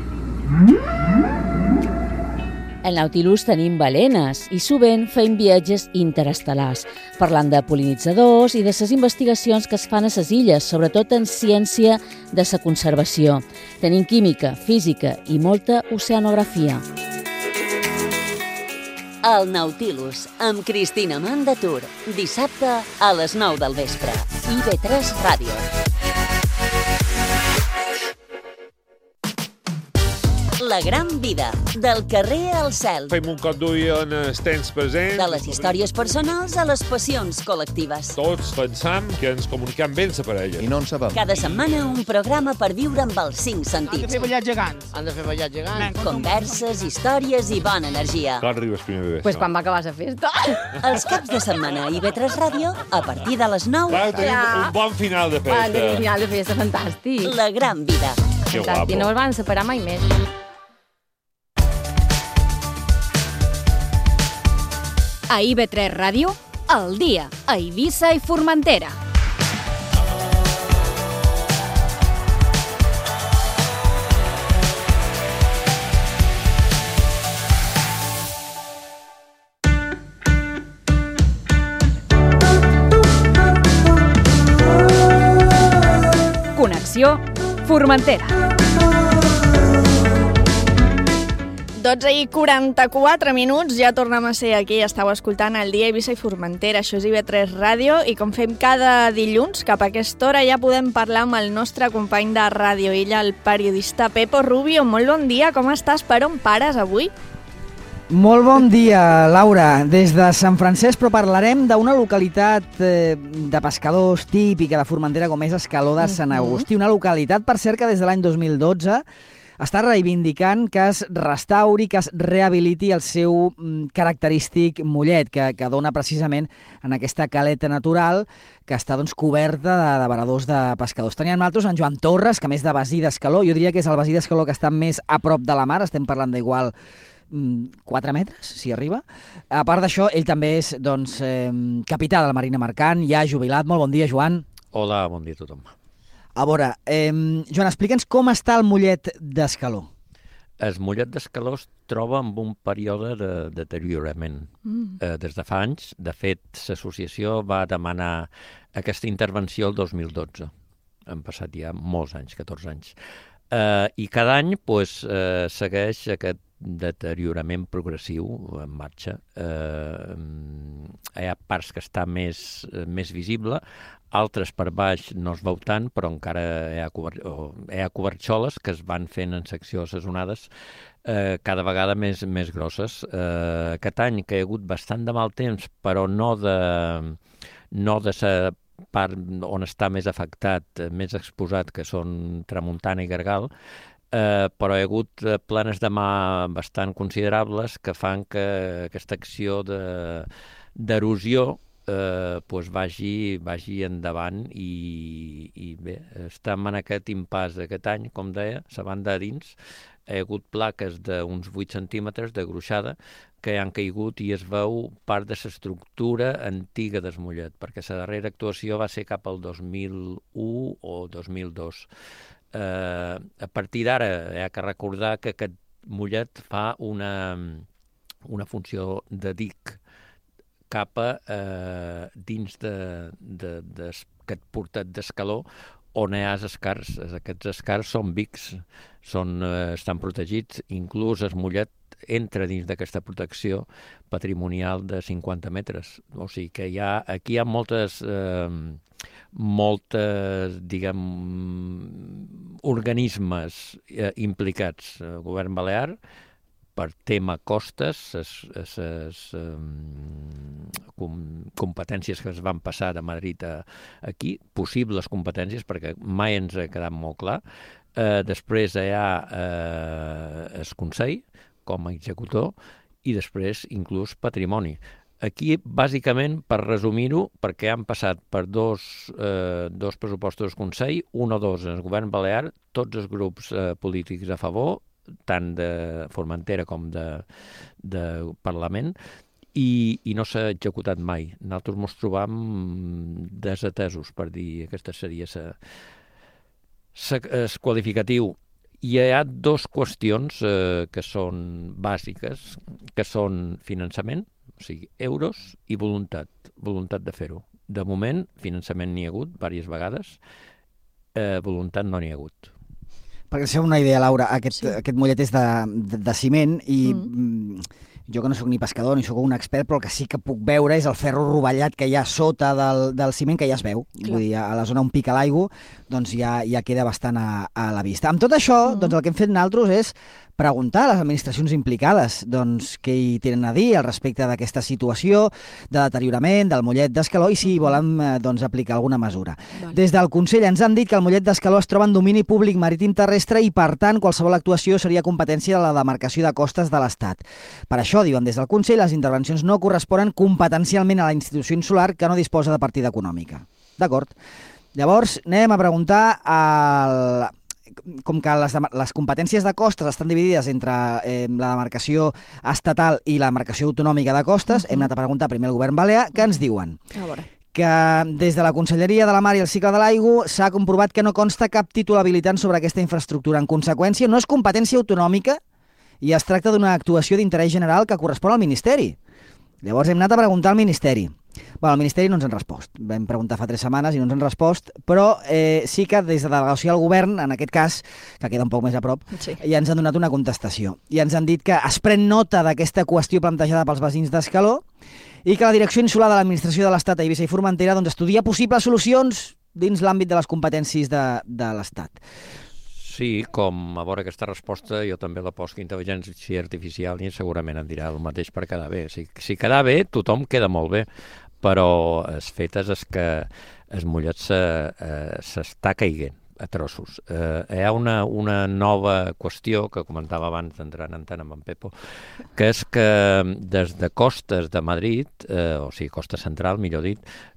Al Nautilus tenim balenes i sovint fem viatges interestel·lars, parlant de pol·linitzadors i de les investigacions que es fan a les illes, sobretot en ciència de la conservació. Tenim química, física i molta oceanografia. El Nautilus, amb Cristina Mandatur, dissabte a les 9 del vespre. IB3 Ràdio. La gran vida, del carrer al cel. Fem un cop d'ull en els temps presents. De les històries personals a les passions col·lectives. Tots pensam que ens comuniquem bé amb la parella. I no en sabem. Cada setmana un programa per viure amb els 5 sentits. Han de fer ballar gegants. Han de fer ballar gegants. Converses, històries i bona energia. Quan arribes primer de Pues quan va acabar la festa. Els caps de setmana a IB3 Ràdio, a partir de les 9. Clar, tenim un bon final de festa. Tenim un final de festa fantàstic. La gran vida. Que guapo. I no es van separar mai més. A IB3 Ràdio, al dia, a Eivissa i Formentera. Connexió Formentera. 12:44, ja tornem a ser aquí. Estàu escoltant el dia Eivissa i Formentera. Això és IB3 Ràdio i com fem cada dilluns, cap a aquesta hora ja podem parlar amb el nostre company de Ràdio Illa, el periodista Pepo Rubio. Molt bon dia, com estàs? Per on pares avui? Molt bon dia, Laura. Des de Sant Francesc, però parlarem d'una localitat de pescadors típica de Formentera com és Escaló de Sant Agustí. Una localitat, per cert, que des de l'any 2012 està reivindicant que es restauri, que es rehabiliti el seu característic mollet, que dona precisament en aquesta caleta natural que està coberta de varadors de pescadors. Teníem nosaltres en Joan Torres, que a més de Basí d'Escaló, jo diria que és el Basí d'Escaló que està més a prop de la mar, estem parlant d'igual 4 metres, si arriba. A part d'això, ell també és capità de la Marina Mercant, ja jubilat. Molt bon dia, Joan. Hola, bon dia a tothom. A veure, Joan, explica'ns com està el mollet d'Escaló. El mollet d'Escaló es troba en un període de deteriorament. Des de fa anys, de fet, l'associació va demanar aquesta intervenció el 2012. Han passat ja molts anys, 14 anys. I cada any segueix aquest deteriorament progressiu en marxa. Hi ha parts que està més visible, altres per baix no es veu tant, però encara hi ha coberxoles que es van fent en seccions assonades cada vegada més grosses. Aquest any que hi ha hagut bastant de mal temps, però no de la part on està més afectat, més exposat, que són Tramuntana i Gargal, però hi ha hagut planes de mà bastant considerables que fan que aquesta acció d'erosió vagi endavant i bé, estem en aquest impàs d'aquest any, com deia, la banda a dins, hi ha hagut plaques d'uns 8 centímetres de gruixada que han caigut i es veu part de l'estructura antiga del mollet, perquè la darrera actuació va ser cap al 2001 o 2002. A partir d'ara hi ha que recordar que aquest mollet fa una funció de dic cap a dins d'aquest portat d'Escaló on hi ha els escars. Aquests escars són vics, estan protegits, inclús el mollet entra dins d'aquesta protecció patrimonial de 50 metres. O sigui que aquí hi ha moltes diguem, organismes implicats. El govern balear, per tema costes, les competències que es van passar de Madrid aquí, possibles competències, perquè mai ens ha quedat molt clar. Després hi ha el Consell, com a executor, i després inclús patrimoni. Aquí, bàsicament, per resumir-ho, perquè han passat per dos pressupostos del Consell, un o dos en el govern balear, tots els grups polítics a favor, tant de Formentera com de Parlament, i no s'ha executat mai. Nosaltres ens trobam desatesos, per dir, aquesta seria el qualificatiu. Hi ha dues qüestions que són bàsiques, que són finançament, o sigui, euros, i voluntat de fer-ho. De moment, finançament n'hi ha hagut diverses vegades, voluntat no n'hi ha hagut. Perquè això és una idea, Laura, aquest mollet és de ciment i jo que no sóc ni pescador ni sóc un expert, però el que sí que puc veure és el ferro rovellat que hi ha sota del ciment, que ja es veu. Vull dir, a la zona on pica l'aigua, doncs ja queda bastant a la vista. Amb tot això, doncs el que hem fet nosaltres és preguntar a les administracions implicades doncs, què hi tenen a dir al respecte d'aquesta situació de deteriorament del mollet d'Escaló i si volen doncs, aplicar alguna mesura. Des del Consell ens han dit que el mollet d'Escaló es troba en domini públic marítim terrestre i, per tant, qualsevol actuació seria competència de la demarcació de costes de l'Estat. Per això, diuen des del Consell, les intervencions no corresponen competencialment a la institució insular que no disposa de partida econòmica. D'acord. Llavors, anem a preguntar com que les competències de costes estan dividides entre la demarcació estatal i la demarcació autonòmica de costes, hem anat a preguntar primer al govern balear, què ens diuen? Que des de la Conselleria de la Mar i el Cicle de l'Aigua s'ha comprovat que no consta cap títol habilitant sobre aquesta infraestructura. En conseqüència, no és competència autonòmica i es tracta d'una actuació d'interès general que correspon al Ministeri. Llavors hem anat a preguntar al Ministeri. Bueno, el Ministeri no ens han respost. Vam preguntar fa 3 setmanes i no ens han respost, però sí que des de la delegació del govern, en aquest cas, que queda un poc més a prop, ja ens han donat una contestació. I ens han dit que es pren nota d'aquesta qüestió plantejada pels veïns d'Escaló i que la Direcció Insular de l'Administració de l'Estat a Eivissa i Formentera doncs, estudia possibles solucions dins l'àmbit de les competències de l'Estat. Sí, com a veure aquesta resposta, jo també la poso intel·ligència artificial i segurament em dirà el mateix per quedar bé. Si quedar bé, tothom queda molt bé, però els fetes és que el mollet s'està caiguent a trossos. Hi ha una nova qüestió que comentava abans d'entrar en antena amb en Pepo, que és que des de Costes de Madrid, o sigui, Costa Central, millor dit,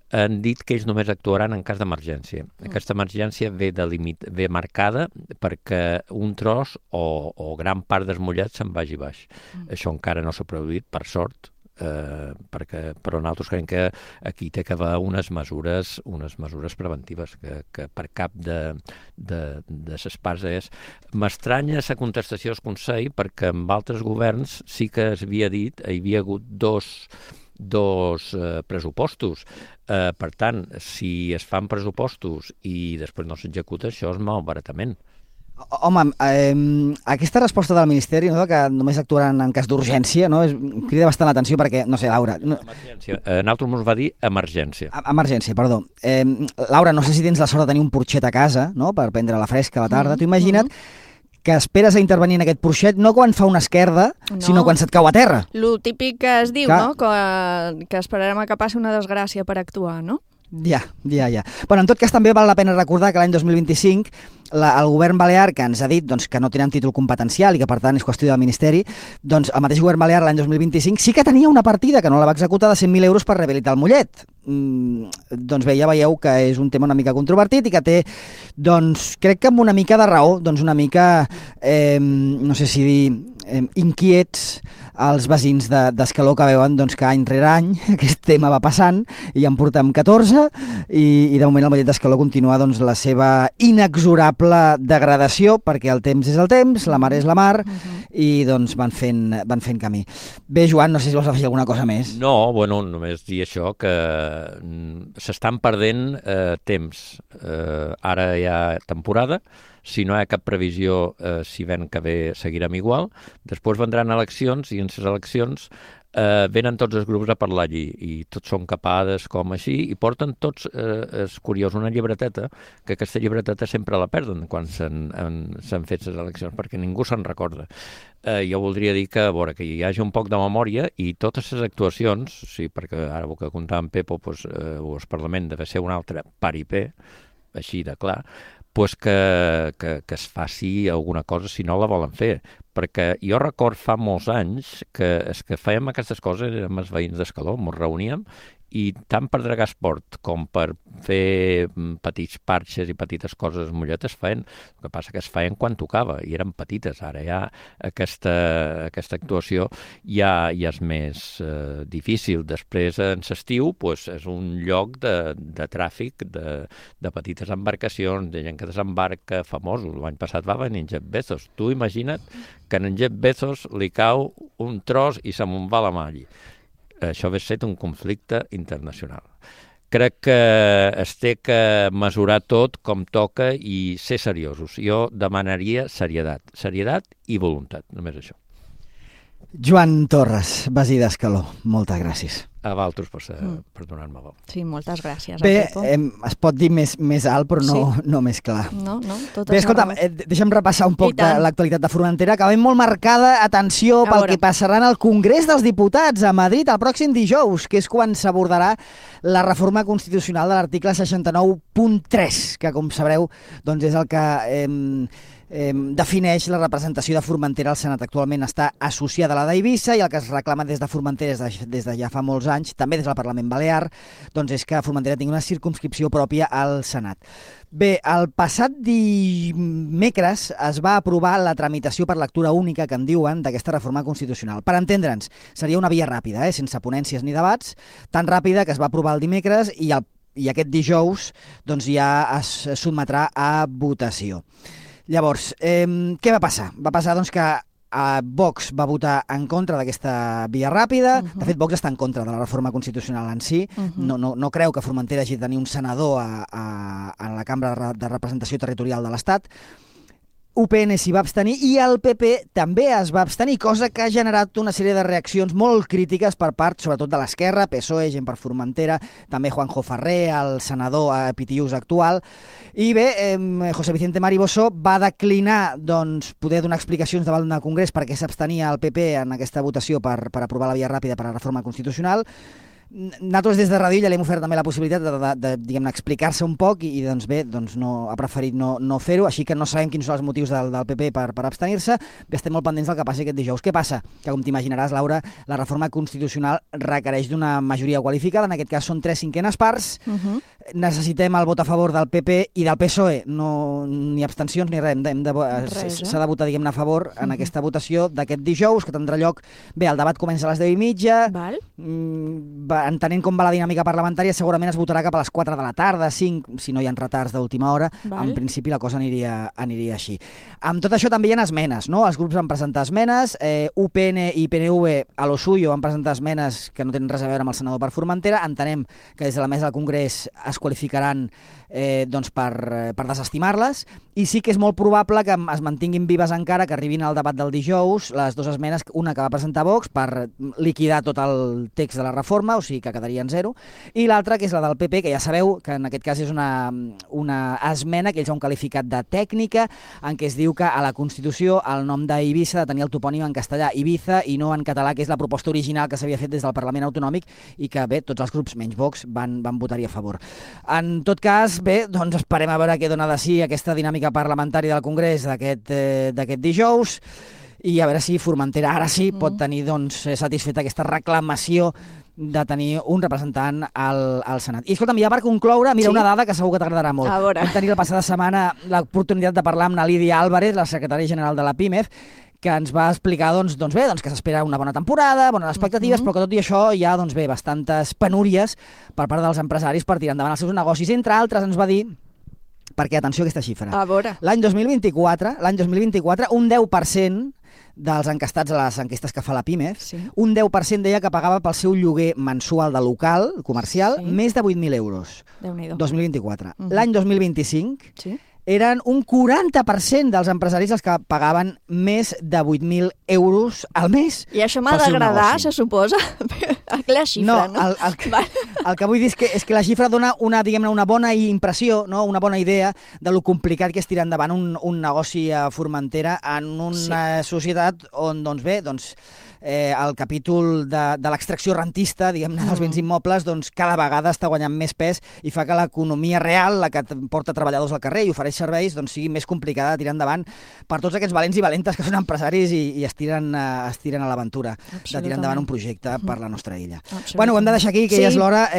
han dit que ells només actuaran en cas d'emergència. Aquesta emergència ve marcada perquè un tros o gran part del mollet se'n vagi baix. Això encara no s'ha produït, per sort, però nosaltres creiem que aquí té que haver unes mesures preventives que per cap de les parts és. M'estranya la contestació del Consell perquè amb altres governs sí que s'havia dit, hi havia hagut dos pressupostos. Per tant, si es fan pressupostos i després no s'executa, això és malbaratament. Home, aquesta resposta del Ministeri, no, que només actuaran en cas d'urgència, no, crida bastant l'atenció perquè, no sé, Laura... Nosaltres ens va dir emergència. Emergència, perdó. Laura, no sé si tens la sort de tenir un porxet a casa, no?, per prendre la fresca a la tarda. T'ho imagina't que esperes a intervenir en aquest porxet no quan fa una esquerda, sinó quan se't cau a terra. Lo típic que es diu, no?, que esperarem a que passi una desgràcia per actuar, no? Ja. Bueno, en tot cas, també val la pena recordar que l'any 2025 el govern balear, que ens ha dit doncs, que no tenen títol competencial i que per tant és qüestió del Ministeri, doncs el mateix govern balear l'any 2025 sí que tenia una partida que no la va executar de 100.000 euros per rehabilitar el mollet. Doncs bé, ja veieu que és un tema una mica controvertit i que té, doncs, crec que amb una mica de raó, doncs una mica, no sé si dir, inquiets els veïns d'Escaló que veuen doncs, que any rere any aquest tema va passant i ja en portem 14 i de moment el mollet d'Escaló continua doncs, la seva inexorable degradació perquè el temps és el temps, la mar és la mar i doncs van fent camí. Bé, Joan, no sé si vols afegir alguna cosa més. No, bueno, només dir això, que s'estan perdent temps. Ara hi ha temporada, si no hi ha cap previsió, si ven que ve seguirem igual. Després vendran eleccions i en les eleccions venen tots els grups a parlar allí i tots són capades com així i porten tots, és curiós, una llibreteta, que aquesta llibreteta sempre la perden quan s'han fet les eleccions perquè ningú se'n recorda. Jo voldria dir que, a veure, que hi hagi un poc de memòria i totes les actuacions, sí, perquè ara el que contava en Pepo, doncs, el Parlament deve ser un altre paripé, així de clar, pues que es faci alguna cosa si no la volen fer, perquè jo record fa molts anys que fèiem aquestes coses, érem els veïns d'Escaló, ens reuníem, i tant per dregar esport com per fer petits parxes i petites coses molletes feien. El que passa que es feien quan tocava i eren petites. Ara ja aquesta actuació ja és més difícil. Després, en l'estiu, és un lloc de tràfic de petites embarcacions, de gent que desembarca, famosos. L'any passat va venir en Jeff Bezos. Tu imagina't que en Jeff Bezos li cau un tros i se me'n va la mà allí. Això hauria estat un conflicte internacional. Crec que es té que mesurar tot com toca i ser seriosos. Jo demanaria serietat i voluntat, només això. Joan Torres, Basí d'Escaló, moltes gràcies. A vosaltres per donar-me veu. Sí, moltes gràcies. Bé, es pot dir més alt, però no més clar. No, tot bé, escolta'm, deixa'm repassar un poc de l'actualitat de Formentera, que ve molt marcada, atenció, pel que passarà en el Congrés dels Diputats a Madrid el pròxim dijous, que és quan s'abordarà la reforma constitucional de l'article 69.3, que, com sabreu, doncs és el que defineix la representació de Formentera al Senat. Actualment està associada a la d'Eivissa i el que es reclama des de Formentera des de ja fa molts anys, també des del Parlament Balear, doncs és que Formentera tingui una circumscripció pròpia al Senat. Bé, el passat dimecres es va aprovar la tramitació per lectura única, que en diuen, d'aquesta reforma constitucional. Per entendre'ns, seria una via ràpida, sense ponències ni debats, tan ràpida que es va aprovar el dimecres i aquest dijous doncs ja es sotmetrà a votació. Llavors, què va passar? Va passar doncs, que Vox va votar en contra d'aquesta via ràpida. De fet, Vox està en contra de la reforma constitucional en si. No creu que Formentera hagi de tenir un senador a la Cambra de Representació Territorial de l'Estat. UPN s'hi va abstenir i el PP també es va abstenir, cosa que ha generat una sèrie de reaccions molt crítiques per part, sobretot de l'esquerra, PSOE, Gent per Formentera, també Juanjo Ferrer, el senador PTUs actual. I bé, José Vicente Mariboso va declinar poder donar explicacions davant del Congrés perquè s'abstenia el PP en aquesta votació per aprovar la via ràpida per a la reforma constitucional. Nosaltres des de Ràdio ja li hem ofert també la possibilitat de diguem-ne, explicar-se un poc i doncs bé, ha preferit no fer-ho, així que no sabem quins són els motius del PP per abstenir-se. Bé, estem molt pendents del que passi aquest dijous. Què passa? Que, com t'imaginaràs, Laura, la reforma constitucional requereix d'una majoria qualificada, en aquest cas són 3/5 parts. Necessitem el vot a favor del PP i del PSOE, ni abstencions ni res. S'ha de votar, diguem-ne, a favor en aquesta votació d'aquest dijous, que tindrà lloc... Bé, el debat comença a les 10:30. Entenent com va la dinàmica parlamentària, segurament es votarà cap a les 4 de la tarda, 5, si no hi ha retards d'última hora. En principi la cosa aniria així. Amb tot això també hi ha esmenes, no? Els grups van presentar esmenes, UPN i PNV a lo suyo van presentar esmenes que no tenen res a veure amb el senador per Formentera. Entenem que des de la mesa del Congrés es qualificaran per desestimar-les, i sí que és molt probable que es mantinguin vives encara, que arribin al debat del dijous les dues esmenes, una que va presentar Vox per liquidar tot el text de la reforma, o sigui que quedaria en zero, i l'altra, que és la del PP, que ja sabeu que en aquest cas és una esmena que ells han qualificat de tècnica, en què es diu que a la Constitució el nom d'Eivissa ha de tenir el topònim en castellà, Ibiza, i no en català, que és la proposta original que s'havia fet des del Parlament Autonòmic i que, bé, tots els grups, menys Vox, van votar-hi a favor. En tot cas, bé, doncs esperem a veure què dona de si aquesta dinàmica parlamentària del Congrés d'aquest dijous, i a veure si Formentera ara sí pot tenir satisfeta aquesta reclamació de tenir un representant al Senat. I escolta'm, ja per concloure, mira, una dada que segur que t'agradarà molt. Vam tenir la passada setmana l'oportunitat de parlar amb la Lídia Álvarez, la secretària general de la PIMEF, que ens va explicar que s'espera una bona temporada, bones expectatives, però que tot i això hi ha bastantes penúries per part dels empresaris per tirar endavant els seus negocis. Entre altres, ens va dir, perquè atenció a aquesta xifra, l'any 2024, un 10% dels encastats a les enquestes que fa la PIMEF, un 10% deia que pagava pel seu lloguer mensual de local, comercial, més de 8.000 euros. 2024. L'any 2025 eren un 40% dels empresaris els que pagaven més de 8.000 euros al mes. I això m'ha d'agradar, se suposa? La xifra, no? El que vull dir és que la xifra dona una bona impressió, una bona idea de lo complicat que és tirar endavant un negoci a Formentera en una societat on, el capítol de l'extracció rentista, diguem-ne, dels béns immobles, doncs cada vegada està guanyant més pes i fa que l'economia real, la que porta treballadors al carrer i ofereix serveis, doncs sigui més complicada de tirar endavant per tots aquests valents i valentes que són empresaris i es tiren a l'aventura de tirar endavant un projecte per la nostra illa. Bueno, ho hem de deixar aquí, que ja és l'hora.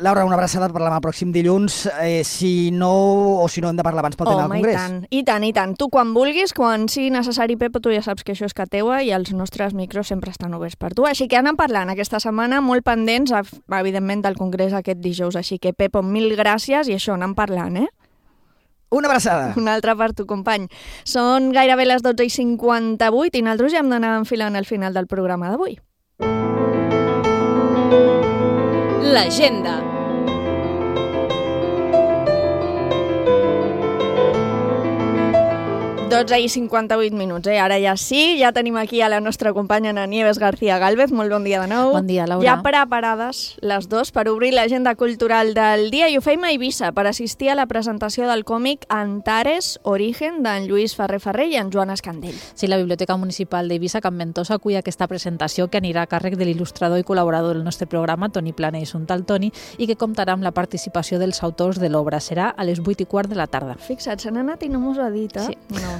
Laura, una abraçada, parlem el pròxim dilluns. Si no hem de parlar abans pel tema del Congrés. I tant. Tu quan vulguis, quan sigui necessari, Pepo, tu ja saps que això és que teua i els nostres micros sempre estan oberts per tu. Així que anem parlant aquesta setmana, molt pendents, evidentment, del Congrés aquest dijous. Així que, Pepo, mil gràcies i això, anem parlant, Una abraçada. Una altra per tu, company. Són gairebé les 12:58 i nosaltres ja hem d'anar enfilant al final del programa d'avui. L'agenda. 12:58, Ara ja sí, ja tenim aquí a la nostra companya Ana Nieves García Gálvez. Molt bon dia de nou. Bon dia, Laura. Ja preparades les dues per obrir l'agenda cultural del dia i ho feim a Eivissa per assistir a la presentació del còmic Antares, Origen, d'en Lluís Ferrer Ferrer i en Joan Escandell. Sí, la Biblioteca Municipal d'Eivissa, Can Ventosa, acull aquesta presentació que anirà a càrrec de l'il·lustrador i col·laborador del nostre programa, Toni Plana i Suntal Toni, i que comptarà amb la participació dels autors de l'obra. Serà a les 8:15 de la tarda. Fixa't, se n'ha anat i no m'ho ha dit, Sí. No.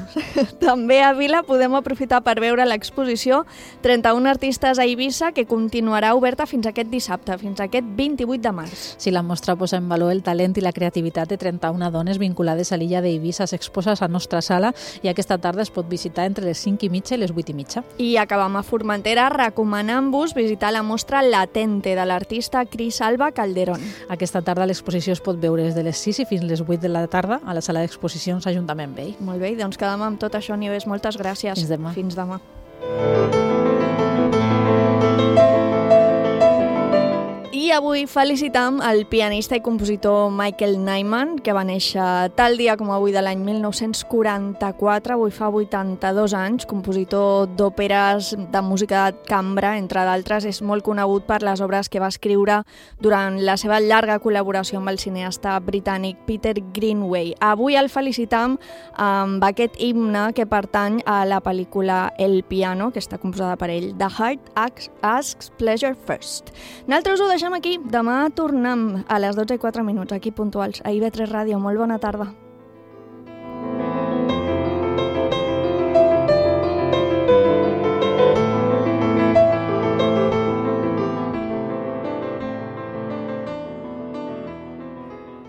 També a Vila podem aprofitar per veure l'exposició 31 artistes a Eivissa, que continuarà oberta fins aquest dissabte, fins aquest 28 de març. Sí, la mostra posa en valor el talent i la creativitat de 31 dones vinculades a l'illa d'Eivissa. S'exposa a la nostra sala i aquesta tarda es pot visitar entre les 5:30 i les 8:30. I acabam a Formentera recomanant-vos visitar la mostra Latente de l'artista Cris Alba Calderón. Aquesta tarda l'exposició es pot veure des de les 6 i fins les 8 de la tarda a la sala d'exposicions Ajuntament Vell. Molt bé, doncs quedem amb tot això, Nieves. Moltes gràcies. Fins demà. Fins demà. I avui felicitam el pianista i compositor Michael Nyman, que va néixer tal dia com avui de l'any 1944, avui fa 82 anys, compositor d'òperes, de música de cambra, entre d'altres. És molt conegut per les obres que va escriure durant la seva llarga col·laboració amb el cineasta britànic Peter Greenaway. Avui el felicitam amb aquest himne que pertany a la pel·lícula El piano, que està composada per ell, The Heart Asks Pleasure First. Nosaltres ho deixem aquí. Demà tornem a les 12:04, aquí puntuals, a IB3 Ràdio. Molt bona tarda.